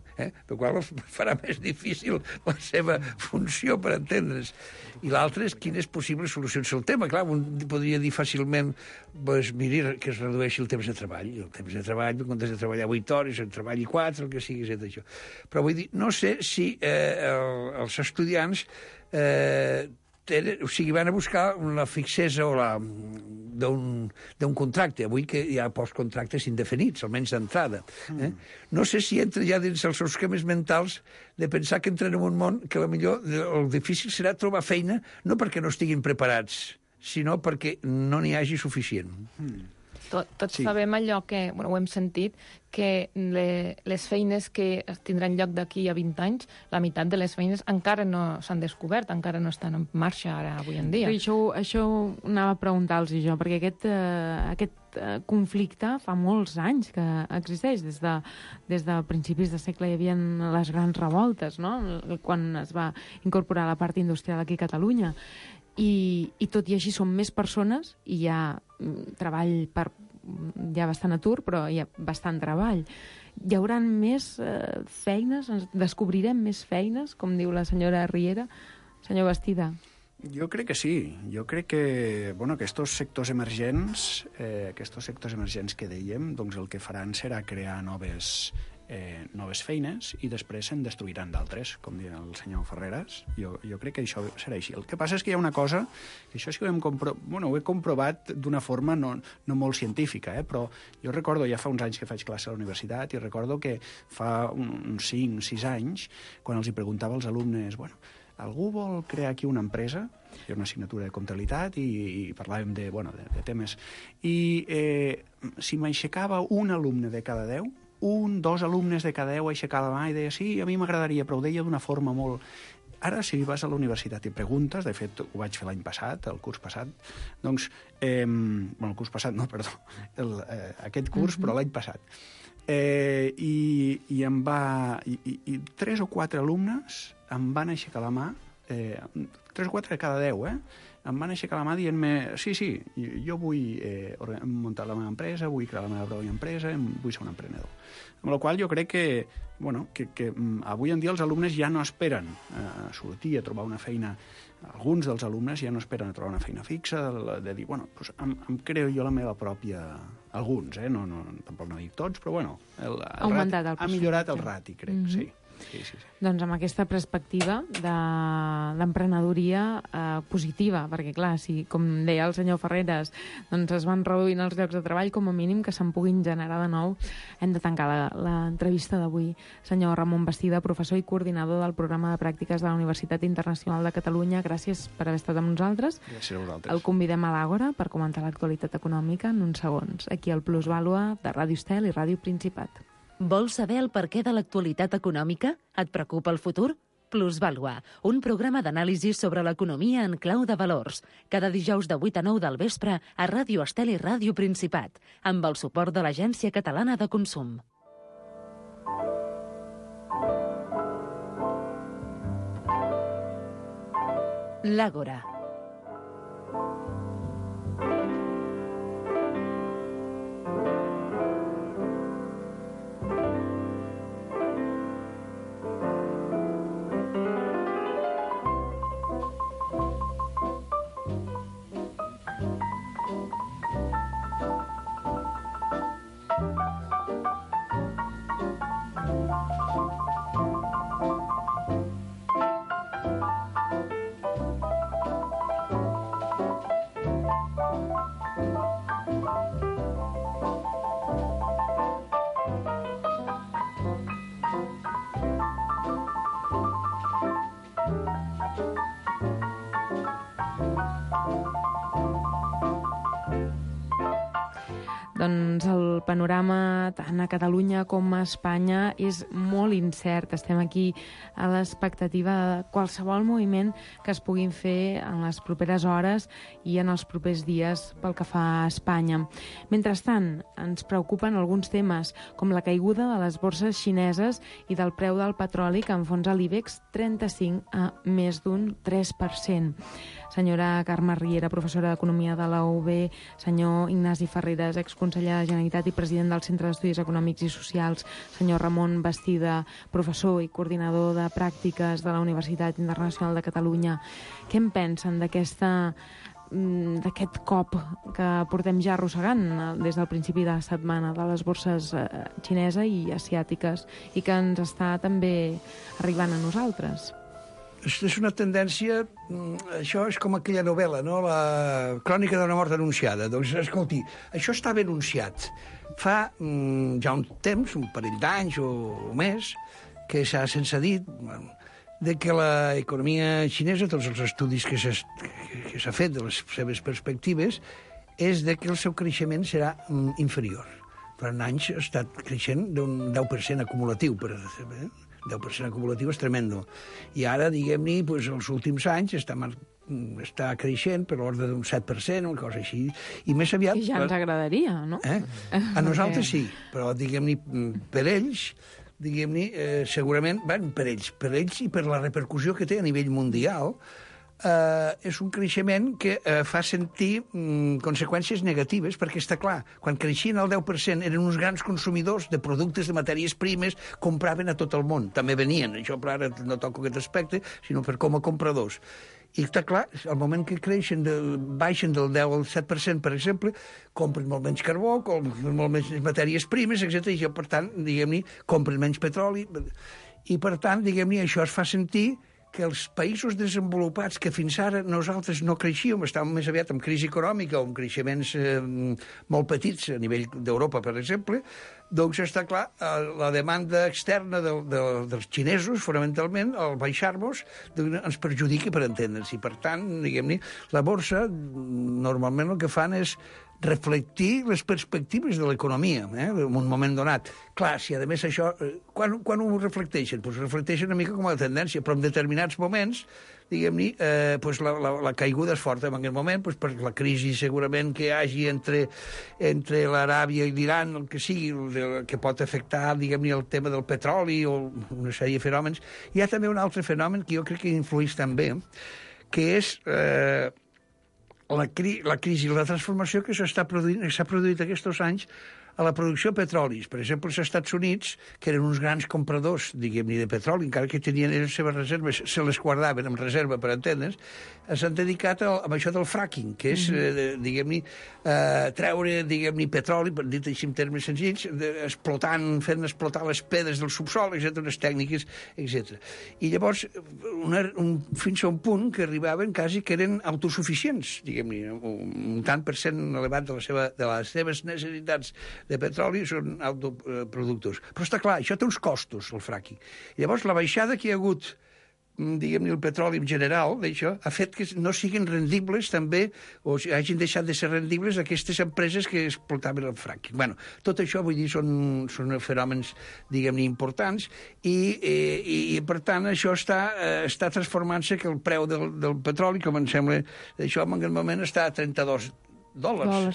I: per qual farà més difícil la seva funció, per entendre's. I l'altre és quines possibles solucions al tema. Clar, un podria dir fàcilment, doncs, miri, que es redueixi el temps de treball. El temps de treball, en comptes de treballar 8 hores, en treballi 4, el que sigui, és això. Però vull dir, no sé si els estudiants van a buscar la fixesa o d'un contracte. Avui que hi ha postcontractes indefinits, almenys d'entrada. No sé si entra ja dins els seus esquemes mentals de pensar que entren en un món que potser el difícil serà trobar feina, no perquè no estiguin preparats, sinó perquè no n'hi hagi suficient.
H: Tots sabem allò que, ho hem sentit, que les feines que tindran lloc d'aquí a 20 anys, la meitat de les feines encara no s'han descobert, encara no estan en marxa ara, avui en dia.
F: Això anava a preguntar-los jo, perquè aquest conflicte fa molts anys que existeix. Des de principis de segle hi havia les grans revoltes, no?, quan es va incorporar la part industrial aquí a Catalunya. I tot i així són més persones i hi ha treball hi ha bastant atur, però hi ha bastant treball. Hi haurà més feines? Descobrirem més feines, com diu la senyora Riera? Senyor Bastida.
G: Jo crec que sí. Jo crec que aquests sectors emergents que dèiem, doncs el que faran serà crear noves feines i després se'n destruiran d'altres, com diu el senyor Ferreras. Jo crec que això serà així. El que passa és que hi ha una cosa, que això sí que ho he comprovat d'una forma no molt científica, però jo recordo, ja fa uns anys que faig classe a la universitat, i recordo que fa uns 5-6 anys, quan els hi preguntava als alumnes, algú vol crear aquí una empresa? Hi ha una assignatura de comptabilitat i parlàvem de temes. I si m'aixecava un alumne de cada 10, 2 alumnes de cada 10 aixecava la mà i deia sí, a mi m'agradaria, però ho deia d'una forma molt... Ara, si vas a la universitat i preguntes, de fet, ho vaig fer l'any passat, el curs passat, doncs... el curs passat, no, perdó, aquest curs, però l'any passat. I 3 o 4 alumnes em van aixecar la mà, 3 o 4 de cada 10, em van aixecar la mà dient-me sí, jo vull muntar la meva empresa, vull crear la meva pròpia empresa, vull ser un emprenedor. Amb la qual jo crec que avui en dia els alumnes ja no esperen a sortir, a trobar una feina. Alguns dels alumnes ja no esperen a trobar una feina fixa, de dir, em creo jo la meva pròpia... Alguns, tampoc no dic tots, però ha millorat el rati, crec, sí. Sí.
F: Doncs amb aquesta perspectiva d'emprenedoria positiva, perquè clar, si com deia el senyor Ferreras doncs es van reduint els llocs de treball, com a mínim que se'n puguin generar de nou. Hem de tancar l'entrevista d'avui. Senyor Ramon Bastida, professor i coordinador del programa de pràctiques de la Universitat Internacional de Catalunya, gràcies per haver estat amb nosaltres.
G: Gràcies a vosaltres.
F: El convidem a l'Àgora per comentar l'actualitat econòmica en uns segons, aquí al Plusvàlua de Ràdio Estel i Ràdio Principat.
B: Vols saber el perquè de l'actualitat econòmica? Et preocupa el futur? Plusvàlua, un programa d'anàlisi sobre l'economia en clau de valors. Cada dijous de 8 a 9 del vespre a Ràdio Estel i Ràdio Principat, amb el suport de l'Agència Catalana de Consum. L'Àgora.
F: Doncs el panorama tant a Catalunya com a Espanya és molt incert. Estem aquí a l'expectativa de qualsevol moviment que es puguin fer en les properes hores i en els propers dies pel que fa a Espanya. Mentrestant, ens preocupen alguns temes, com la caiguda de les borses xineses i del preu del petroli, que enfonsa l'IBEX 35 a més d'un 3%. Senyora Carme Riera, professora d'Economia de la UB, senyor Ignasi Ferreres, exconseller de Generalitat i president del Centre d'Estudis Econòmics i Socials, senyor Ramon Bastida, professor i coordinador de pràctiques de la Universitat Internacional de Catalunya. Què en pensen d'aquest cop que portem ja arrossegant des del principi de la setmana de les borses xinesa i asiàtiques i que ens està també arribant a nosaltres?
I: És una tendència... Això és com aquella novel·la, no? La crònica d'una mort anunciada. Doncs, escolti, això estava anunciat fa ja un temps, un parell d'anys o més, que se'ns ha dit de que l'economia xinesa, tots els estudis que s'ha fet de les seves perspectives, és de que el seu creixement serà inferior. Durant anys ha estat creixent d'un 10% acumulatiu, per exemple, 10% acumulatiu és tremendo. I ara, diguem-ne, doncs, els últims anys està creixent per l'ordre d'un 7%, una cosa així. I més aviat...
F: I ja ens agradaria, no?
I: A nosaltres sí, però, diguem-ne, per ells, diguem-ne, segurament, per ells i per la repercussió que té a nivell mundial, és un creixement que fa sentir conseqüències negatives, perquè està clar, quan creixien el 10% eren uns grans consumidors de productes, de matèries primes, compraven a tot el món, també venien, això per ara no toco aquest aspecte, sinó per com a compradors. I està clar, al moment que baixen del 10 al 7%, per exemple, compren molt menys carbó, compren molt menys matèries primes, etc. I per tant, diguem-ne, compren menys petroli. I per tant, diguem-ne, això es fa sentir que els països desenvolupats que fins ara nosaltres no creixíem, estàvem més aviat en crisi econòmica o en creixements molt petits a nivell d'Europa, per exemple, doncs està clar, la demanda externa dels xinesos, fonamentalment, al baixar-nos, ens perjudica per entendre'ns. I per tant, diguem-ne, la borsa normalment el que fan és reflectir les perspectives de l'economia en un moment donat. Clar, si a més això... Quan ho reflecteixen? Doncs reflecteixen una mica com a tendència, però en determinats moments, diguem-ne, la caiguda és forta en aquest moment, per la crisi segurament que hi hagi entre l'Aràbia i l'Iran, el que sigui, que pot afectar, diguem-ne, el tema del petroli o una sèrie de fenòmens. Hi ha també un altre fenomen que jo crec que influeix també, que és... la crisi i la transformació que s'ha produït aquests anys a la producció de petrolis. Per exemple, els Estats Units, que eren uns grans compradors, diguem-ne, de petroli, encara que tenien les seves reserves, se les guardaven en reserva, per entendre's, s'han dedicat a això del fracking, que és, diguem-ne, treure, diguem-ne, petroli, dit així en termes senzills, fent explotar les pedres del subsol, etc., unes tècniques, etc. I llavors, fins a un punt que arribaven quasi que eren autosuficients, diguem-ne, un tant per cent elevat de les seves necessitats de petroli són autoproductors. Però està clar, això té uns costos, el fracking. I llavors la baixada que hi ha hagut diguem-ne, el petroli en general, d'això, ha fet que no siguin rendibles també, o hagin deixat de ser rendibles aquestes empreses que explotaven el fracking. Bueno, tot això, vull dir, són fenòmens, diguem-ne, importants, i per tant, això està transformant-se, que el preu del petroli, com em sembla, això en aquest moment està a $32.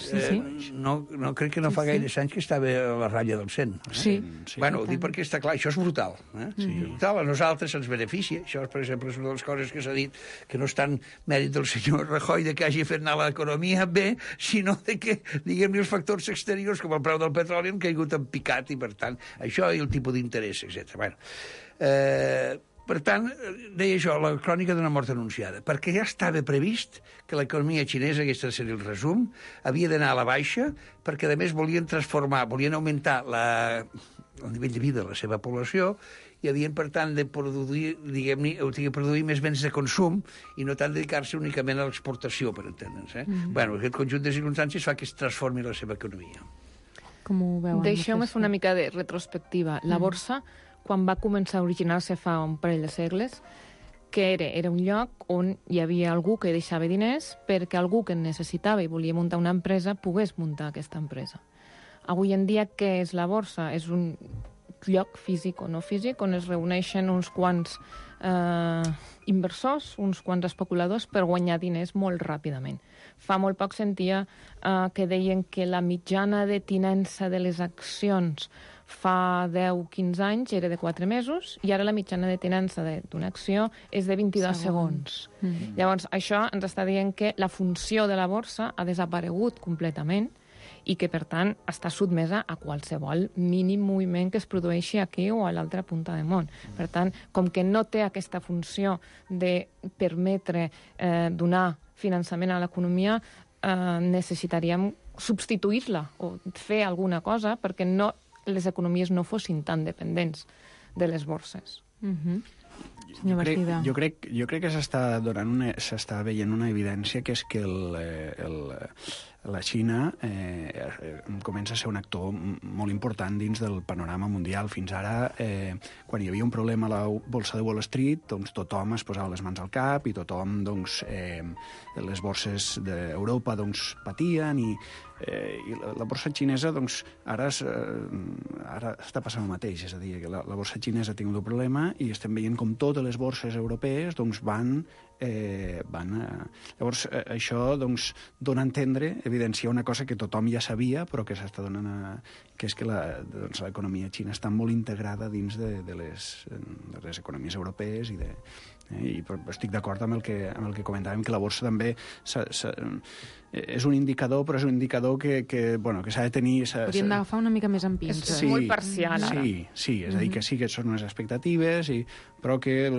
F: Sí.
I: No crec que no fa gaires anys que estava a la ratlla del 100.
F: Sí.
I: Bueno, ho dic perquè està clar, això és brutal. Sí. És brutal. A nosaltres ens beneficia. Això, per exemple, és una de les coses que s'ha dit, que no és tant mèrit del senyor Rajoy de que hagi fet anar l'economia bé, sinó de que, diguem-ne, els factors exteriors, com el preu del petroli, han caigut en picat, i per tant, això i el tipus d'interès, etc. Bueno, per tant, deia això, la crònica d'una mort anunciada, perquè ja estava previst que l'economia xinesa, aquest seria el resum, havia d'anar a la baixa, perquè, a més, volien augmentar el nivell de vida de la seva població, i havien, per tant, de produir, diguem-ne, produir més béns de consum i no tant dedicar-se únicament a l'exportació, per entendre'ns. Bueno, aquest conjunt de circumstàncies fa que es transformi la seva economia.
F: Com ho veuen?
H: Deixeu-me fer una mica de retrospectiva. La borsa, quan va començar a originar-se fa un parell de segles, que era un lloc on hi havia algú que deixava diners perquè algú que necessitava i volia muntar una empresa pogués muntar aquesta empresa. Avui en dia, què és la borsa? És un lloc físic o no físic on es reuneixen uns quants inversors, uns quants especuladors per guanyar diners molt ràpidament. Fa molt poc sentia que deien que la mitjana de tinença de les accions fa 10-15 anys era de 4 mesos i ara la mitjana de tinença d'una acció és de 22 segons. Llavors, això ens està dient que la funció de la borsa ha desaparegut completament i que, per tant, està sotmesa a qualsevol mínim moviment que es produeixi aquí o a l'altra punta del món. Per tant, com que no té aquesta funció de permetre donar finançament a l'economia, necessitaríem substituir-la o fer alguna cosa perquè les economies no fossin tan dependents de les borses.
F: Senyor Bastida.
G: Jo crec que s'està veient una evidència, que és que la Xina comença a ser un actor molt important dins del panorama mundial. Fins ara, quan hi havia un problema a la borsa de Wall Street, doncs tothom es posava les mans al cap i tothom, doncs, les borses d'Europa patien i la borsa xinesa, doncs, ara està passant el mateix. És a dir, que la borsa xinesa ha tingut un problema i estem veient com totes les borses europees doncs, van... Llavors, això doncs, dona a entendre, evidencia una cosa que tothom ja sabia, però que s'està donant que és que l'economia xina està molt integrada dins de les economies europees i estic d'acord amb el que comentàvem, que la borsa també és un indicador, però és un indicador que s'ha de tenir...
F: Hauríem d'agafar una mica més en pinça.
H: És molt parcial, ara.
G: Sí, és a dir, que sí que són unes expectatives, però que,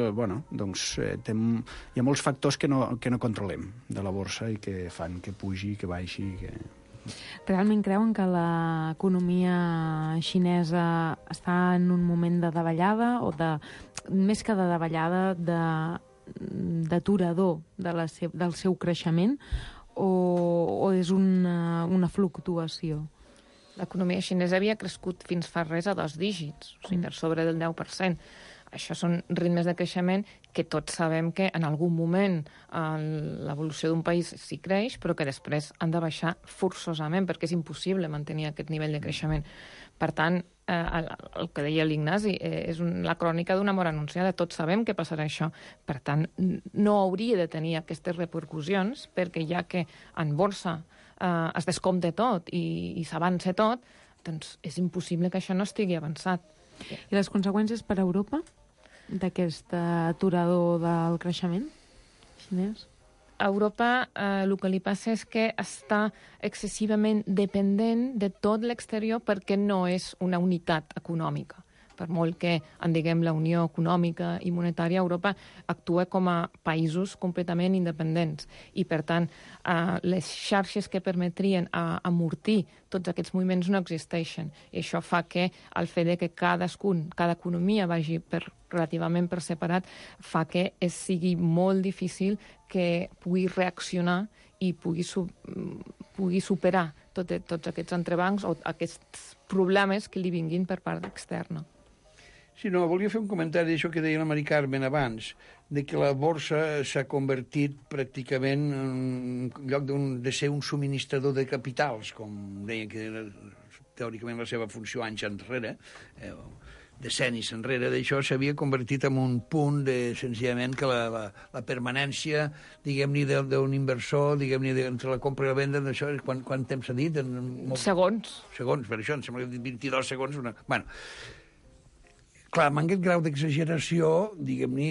G: doncs, hi ha molts factors que no controlem de la borsa i que fan que pugi, que baixi...
F: Realment creuen que l'economia xinesa està en un moment de davallada o més que de davallada, d'aturador del seu creixement o és una fluctuació?
H: L'economia xinesa havia crescut fins fa res a 2 dígits, o sigui, per sobre del 10%. Això són ritmes de creixement que tots sabem que en algun moment l'evolució d'un país sí creix, però que després han de baixar forçosament, perquè és impossible mantenir aquest nivell de creixement. Per tant, el que deia l'Ignasi és la crònica d'una mort anunciada. Tots sabem que passarà això. Per tant, no hauria de tenir aquestes repercussions, perquè ja que en borsa es descompte tot i s'avança tot, doncs és impossible que això no estigui avançat.
F: I les conseqüències per a Europa d'aquest aturador del creixement xinès?
H: A Europa el que li passa és que està excessivament dependent de tot l'exterior perquè no és una unitat econòmica. Per molt que en diguem la Unió Econòmica i Monetària, Europa actua com a països completament independents. I, per tant, les xarxes que permetrien amortir tots aquests moviments no existeixen. I això fa que el fet de que cada economia vagi relativament per separat fa que sigui molt difícil que pugui reaccionar i pugui superar tots aquests entrebancs o aquests problemes que li vinguin per part externa.
I: Sí, no, volia fer un comentari d'això que deia la Mari Carmen abans, de que la borsa s'ha convertit pràcticament en lloc de ser un subministrador de capitals, com deia que era teòricament la seva funció anys enrere, decennis enrere d'això, s'havia convertit en un punt de, senzillament, que la permanència, diguem-ne, d'un inversor, diguem-ne, entre la compra i la venda, d'això, quant temps s'ha dit?
H: Segons.
I: Segons, per això, em sembla que he dit 22 segons. Bueno, clar, amb aquest grau d'exageració, diguem-ne,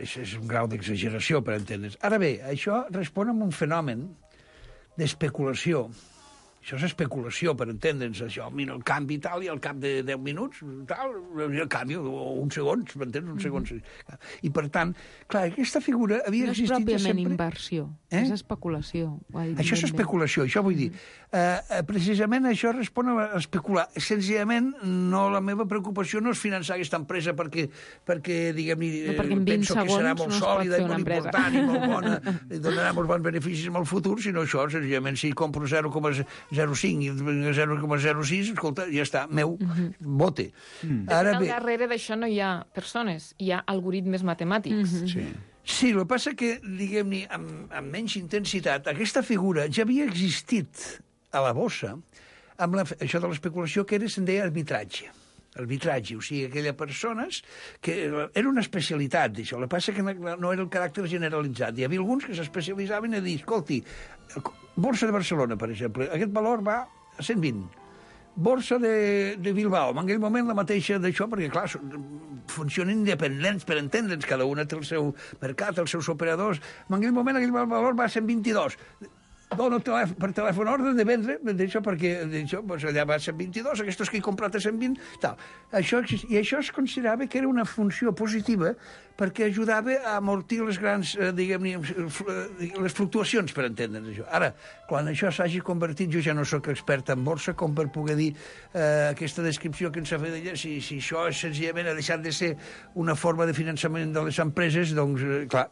I: és un grau d'exageració, per entendre's. Ara bé, això respon a un fenomen d'especulació. Això és especulació, per entendre'ns, això. Mira, el canvi tal, i al cap de 10 minuts, tal, el canvi, o uns segons, m'entens? Uns segons. I, per tant, clar, aquesta figura havia existit sempre...
F: No és pròpiament inversió, és especulació.
I: Això és especulació, això vull dir. Precisament això respon a especular. Senzillament, la meva preocupació no és finançar aquesta empresa perquè diguem-ne, penso que serà molt sòlida i molt important i molt bona, i donarà molts bons beneficis en el futur, sinó això, senzillament, si compro 0,05 i 0,06, escolta, ja està, meu, bote.
H: Ara bé, darrere d'això no hi ha persones, hi ha algoritmes matemàtics.
I: Sí, el que passa que, diguem-ne, amb menys intensitat, aquesta figura ja havia existit a la bossa, amb això de l'especulació, que se'n deia arbitratge. Arbitratge, o sigui, aquelles persones que era una especialitat d'això. El que passa que no era el caràcter generalitzat. Hi havia alguns que s'especialitzaven a dir, escolti, Borsa de Barcelona, per exemple, aquest valor va a 120. Borsa de Bilbao, en aquell moment la mateixa d'això, perquè, clar, funcionen independents, per entendre'ns, cada una té el seu mercat, els seus operadors. En aquell moment aquell valor va a 122. Dono per telèfon ordre de vendre, d'això, perquè allà va a 122, aquests que he comprat a 120, tal. I això es considerava que era una funció positiva perquè ajudava a amortir les grans, diguem-ne, les fluctuacions, per entendre'ns això. Ara, quan això s'hagi convertit, jo ja no sóc expert en borsa, com per poder dir aquesta descripció que ens ha fet d'ella, si això senzillament ha deixat de ser una forma de finançament de les empreses, doncs, clar,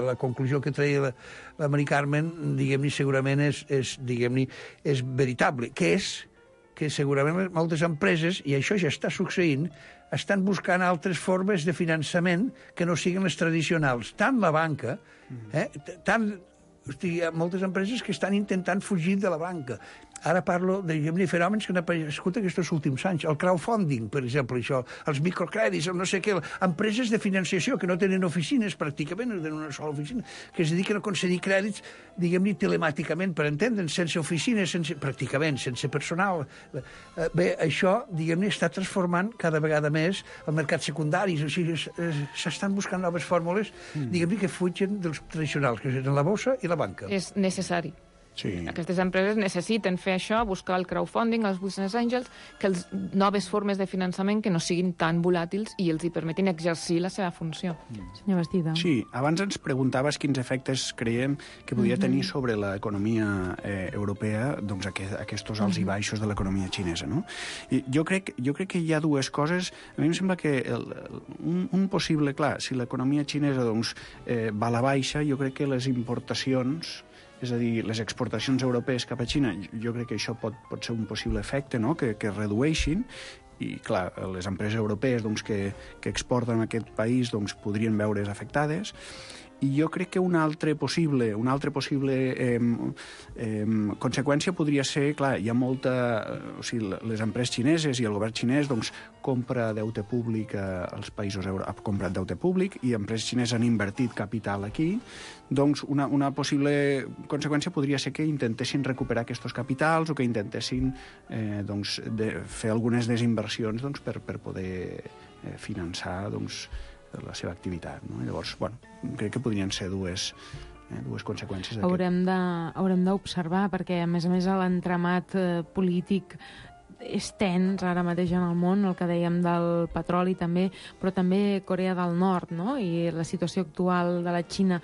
I: la conclusió que treia la Mari Carmen, diguem-ne, segurament és veritable, que és que segurament moltes empreses, i això ja està succeint, estan buscant altres formes de finançament que no siguin les tradicionals. Tant la banca, hi ha moltes empreses que estan intentant fugir de la banca. Ara parlo de fenòmens que han aparegut aquests últims anys. El crowdfunding, per exemple, això, els microcrèdits, no sé què, empreses de financiació que no tenen oficines, pràcticament, no tenen una sola oficina, que es dediquen a concedir crèdits, diguem-ne, telemàticament, per entendre'ns, sense oficines, pràcticament, sense personal. Bé, això, diguem-ne, està transformant cada vegada més el mercat secundari, o sigui, s'estan buscant noves fórmules, diguem-ne, que fugen dels tradicionals, que són la bossa i la banca.
H: És necessari.
G: Sí.
H: Aquestes empreses necessiten fer això, buscar el crowdfunding, els business angels, que les noves formes de finançament que no siguin tan volàtils i els hi permetin exercir la seva funció.
F: Senyor Bastida.
G: Sí, abans ens preguntaves quins efectes creiem que podria tenir sobre l'economia europea, doncs aquests alts i baixos de l'economia xinesa, no? I jo crec que hi ha dues coses. A mi em sembla que un possible, clar, si l'economia xinesa doncs, va a la baixa, jo crec que les importacions, és a dir, les exportacions europees cap a Xina, jo crec que això pot ser un possible efecte, no?, que redueixin, i, clar, les empreses europees doncs, que exporten a aquest país doncs, podrien veure's afectades. I jo crec que una altra possible conseqüència podria ser, clar, hi ha molta... O sigui, les empreses xineses i el govern xinès doncs, compra deute públic als països ha comprat deute públic i empreses xineses han invertit capital aquí, doncs una possible conseqüència podria ser que intentessin recuperar aquests capitals o que intentessin doncs, fer algunes desinversions doncs, per poder finançar doncs, la seva activitat. No? Llavors, bueno, crec que podrien ser dues conseqüències d'aquest.
F: Haurem d'observar, perquè, a més, l'entramat polític és tens ara mateix en el món, el que dèiem del petroli també, però també Corea del Nord, no? I la situació actual de la Xina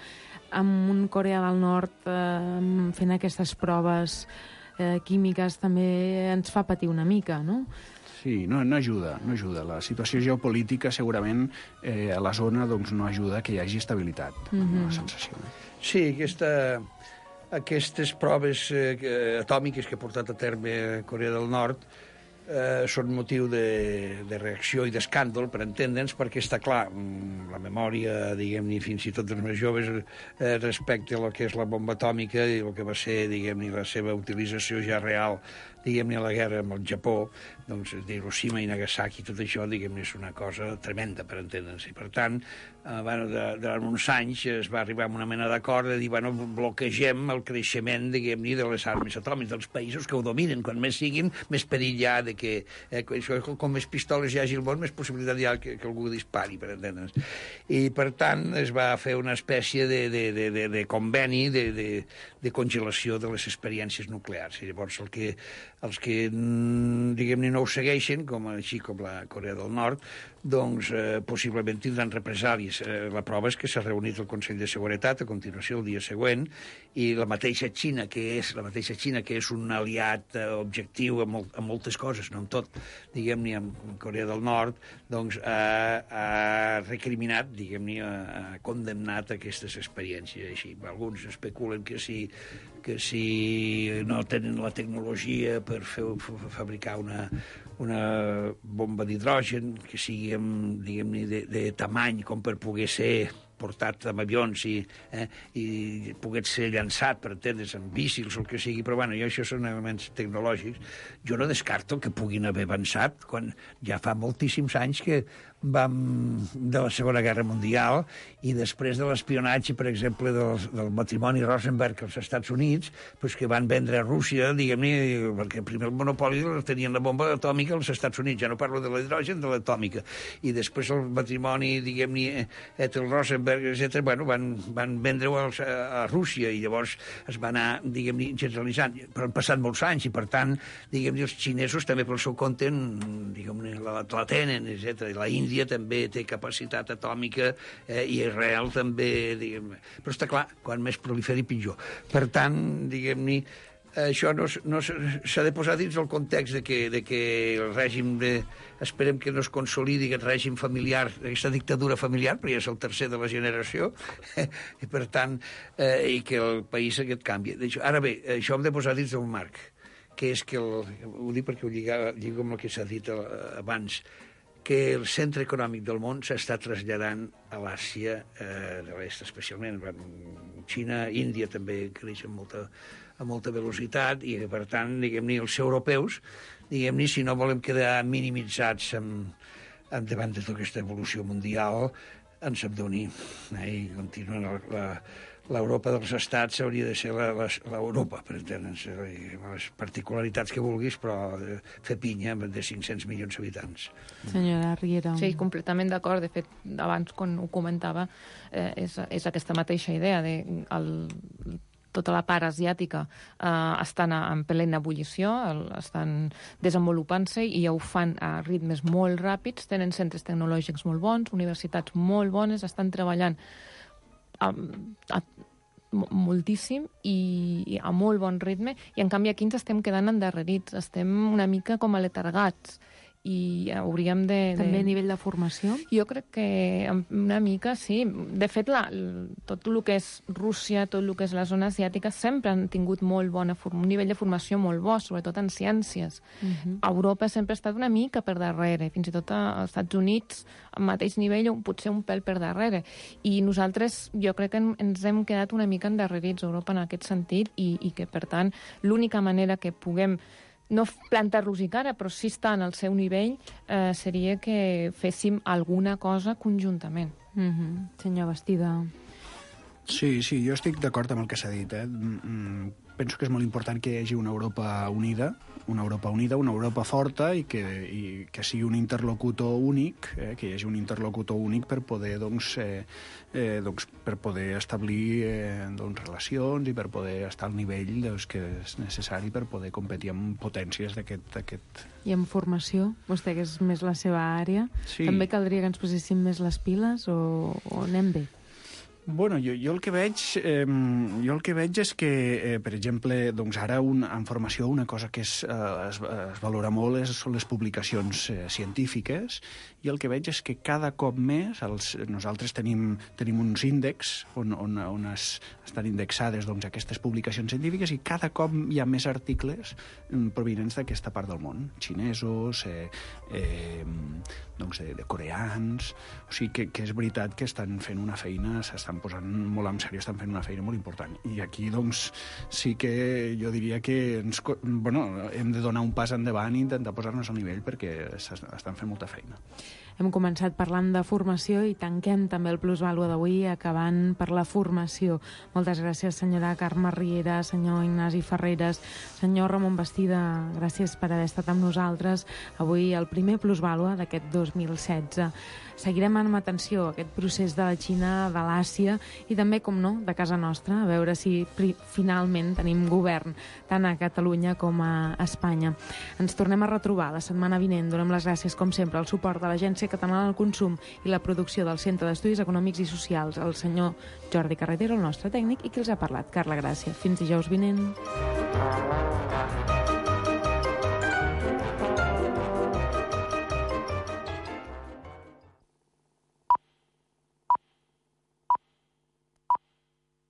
F: amb un Corea del Nord fent aquestes proves químiques també ens fa patir una mica, no?
G: Sí, no ajuda. La situació geopolítica segurament a la zona doncs, no ajuda que hi hagi estabilitat, la sensació.
I: Sí, aquestes proves atòmiques que ha portat a terme Corea del Nord són motiu de reacció i d'escàndol, per entendre'ns, perquè està clar, la memòria, diguem-ne, fins i tot dels més joves, respecte a lo que és la bomba atòmica i el que va ser, diguem-ne, la seva utilització ja real, diguem-ne, a la guerra amb el Japó, doncs, Hiroshima i Nagasaki, tot això, diguem-ne, és una cosa tremenda, per entendre'ns. I, per tant, durant uns anys es va arribar a una mena d'acord de dir, bueno, bloquegem el creixement, diguem-ne, de les armes atòmiques dels països que ho dominen. Quan més siguin, més perill hi ha de que com més pistoles hi hagi al món, més possibilitat hi ha que algú dispari, per entendre'ns. I, per tant, es va fer una espècie de conveni de congelació de les experiències nuclears. I llavors, els que diguem-ne, no ho segueixen, així com la Corea del Nord, doncs possiblement tindran represàlies. La prova és que s'ha reunit el Consell de Seguretat a continuació el dia següent, i la mateixa Xina, que és un aliat objectiu en moltes coses, no en tot, diguem-ne, amb Corea del Nord, doncs ha recriminat, diguem-ne, ha condemnat aquestes experiències així. Alguns especulen que si no tenen la tecnologia per fabricar una bomba d'hidrogen que sigui, diguem-ne, de tamany com per poder ser portat amb avions i pogués ser llançat, per entendre's, amb míssils o el que sigui, però bueno, això són elements tecnològics. Jo no descarto que puguin haver avançat quan ja fa moltíssims anys que vam de la Segona Guerra Mundial i després de l'espionatge, per exemple, del matrimoni Rosenberg als Estats Units, doncs que van vendre a Rússia, diguem-ne, perquè primer el monopoli tenien la bomba atòmica als Estats Units, ja no parlo de l'hidrogen, de l'atòmica, i després el matrimoni, diguem-ne, entre el Rosenberg, etc., bueno, van vendre-ho a Rússia i llavors es va anar, diguem-ne, generalitzant. Però han passat molts anys i, per tant, diguem-ne, els xinesos també pel seu compte, diguem-ne, la tenen, etc. I la Índia també té capacitat atòmica i Israel també, diguem-ne. Però està clar, quan més proliferi, pitjor. Per tant, diguem-ne, això no s'ha de posar dins el context de que el règim esperem que no es consolidi aquest règim familiar, aquesta dictadura familiar, perquè és el tercer de la generació, i per tant, i que el país aquest canvi. Ara bé, això hem de posar dins del marc, que és que, ho dic perquè ho lligo amb el que s'ha dit abans, que el centre econòmic del món s'està traslladant a l'Àsia de l'est, especialment. Xina, Índia també creix amb molta velocitat i, per tant, diguem-ne, els europeus, diguem-ne, si no volem quedar minimitzats davant de tota aquesta evolució mundial, ens hem d'unir i continuar l'Europa dels estats hauria de ser l'Europa, per entendre'ns, les particularitats que vulguis, però fer pinya de 500 milions d'habitants.
F: Senyora Riera.
H: Sí, completament d'acord. De fet, abans, quan ho comentava, és aquesta mateixa idea de tota la part asiàtica estan en plena ebullició, estan desenvolupant-se i ja ho fan a ritmes molt ràpids, tenen centres tecnològics molt bons, universitats molt bones, estan treballant moltíssim i a molt bon ritme, i en canvi aquí ens estem quedant endarrerits, estem una mica com aletargats i hauríem de...
F: També a nivell de formació?
H: Jo crec que una mica sí. De fet, tot el que és Rússia, tot el que és la zona asiàtica, sempre han tingut un nivell de formació molt bo, sobretot en ciències. Europa sempre ha estat una mica per darrere, fins i tot als Estats Units, al mateix nivell, potser un pèl per darrere. I nosaltres, jo crec que ens hem quedat una mica endarrerits a Europa en aquest sentit i que, per tant, l'única manera que puguem no plantar-los i cara, però sí estar en el seu nivell, seria que féssim alguna cosa conjuntament.
F: Senyor Bastida.
G: Sí, jo estic d'acord amb el que s'ha dit. Penso que és molt important que hi hagi una Europa unida, una Europa forta i que sigui un interlocutor únic, que hi hagi un interlocutor únic per poder per poder establir relacions i per poder estar al nivell que és necessari per poder competir amb potències d'aquest...
F: I en formació? Vostè, que és més la seva àrea,
G: sí.
F: També caldria que ens poséssim més les piles o anem bé?
G: Bueno, jo el que veig és que, per exemple, doncs ara en formació una cosa que es valora molt són les publicacions científiques, i el que veig és que cada cop més nosaltres tenim uns índexs on estan indexades doncs, aquestes publicacions científiques, i cada cop hi ha més articles provinents d'aquesta part del món, xinesos, doncs de coreans, o sigui que és veritat que estan fent una feina, s'estan posant molt en sèrio, estan fent una feina molt important. I aquí, doncs, sí que jo diria que hem de donar un pas endavant i intentar posar-nos al nivell, perquè estan fent molta feina.
F: Hem començat parlant de formació i tanquem també el Plusvàlua d'avui acabant per la formació. Moltes gràcies, senyora Carme Riera, senyor Ignasi Ferreres, senyor Ramon Bastida, gràcies per haver estat amb nosaltres avui el primer Plusvàlua d'aquest 2016. Seguirem amb atenció aquest procés de la Xina, de l'Àsia i també, com no, de casa nostra, a veure si finalment tenim govern tant a Catalunya com a Espanya. Ens tornem a retrobar la setmana vinent. Donem les gràcies, com sempre, al suport de l'Agència Catalana del Consum i la producció del Centre d'Estudis Econòmics i Socials, el senyor Jordi Carretero, el nostre tècnic, i qui els ha parlat, Carla Gràcia. Fins dijous vinent.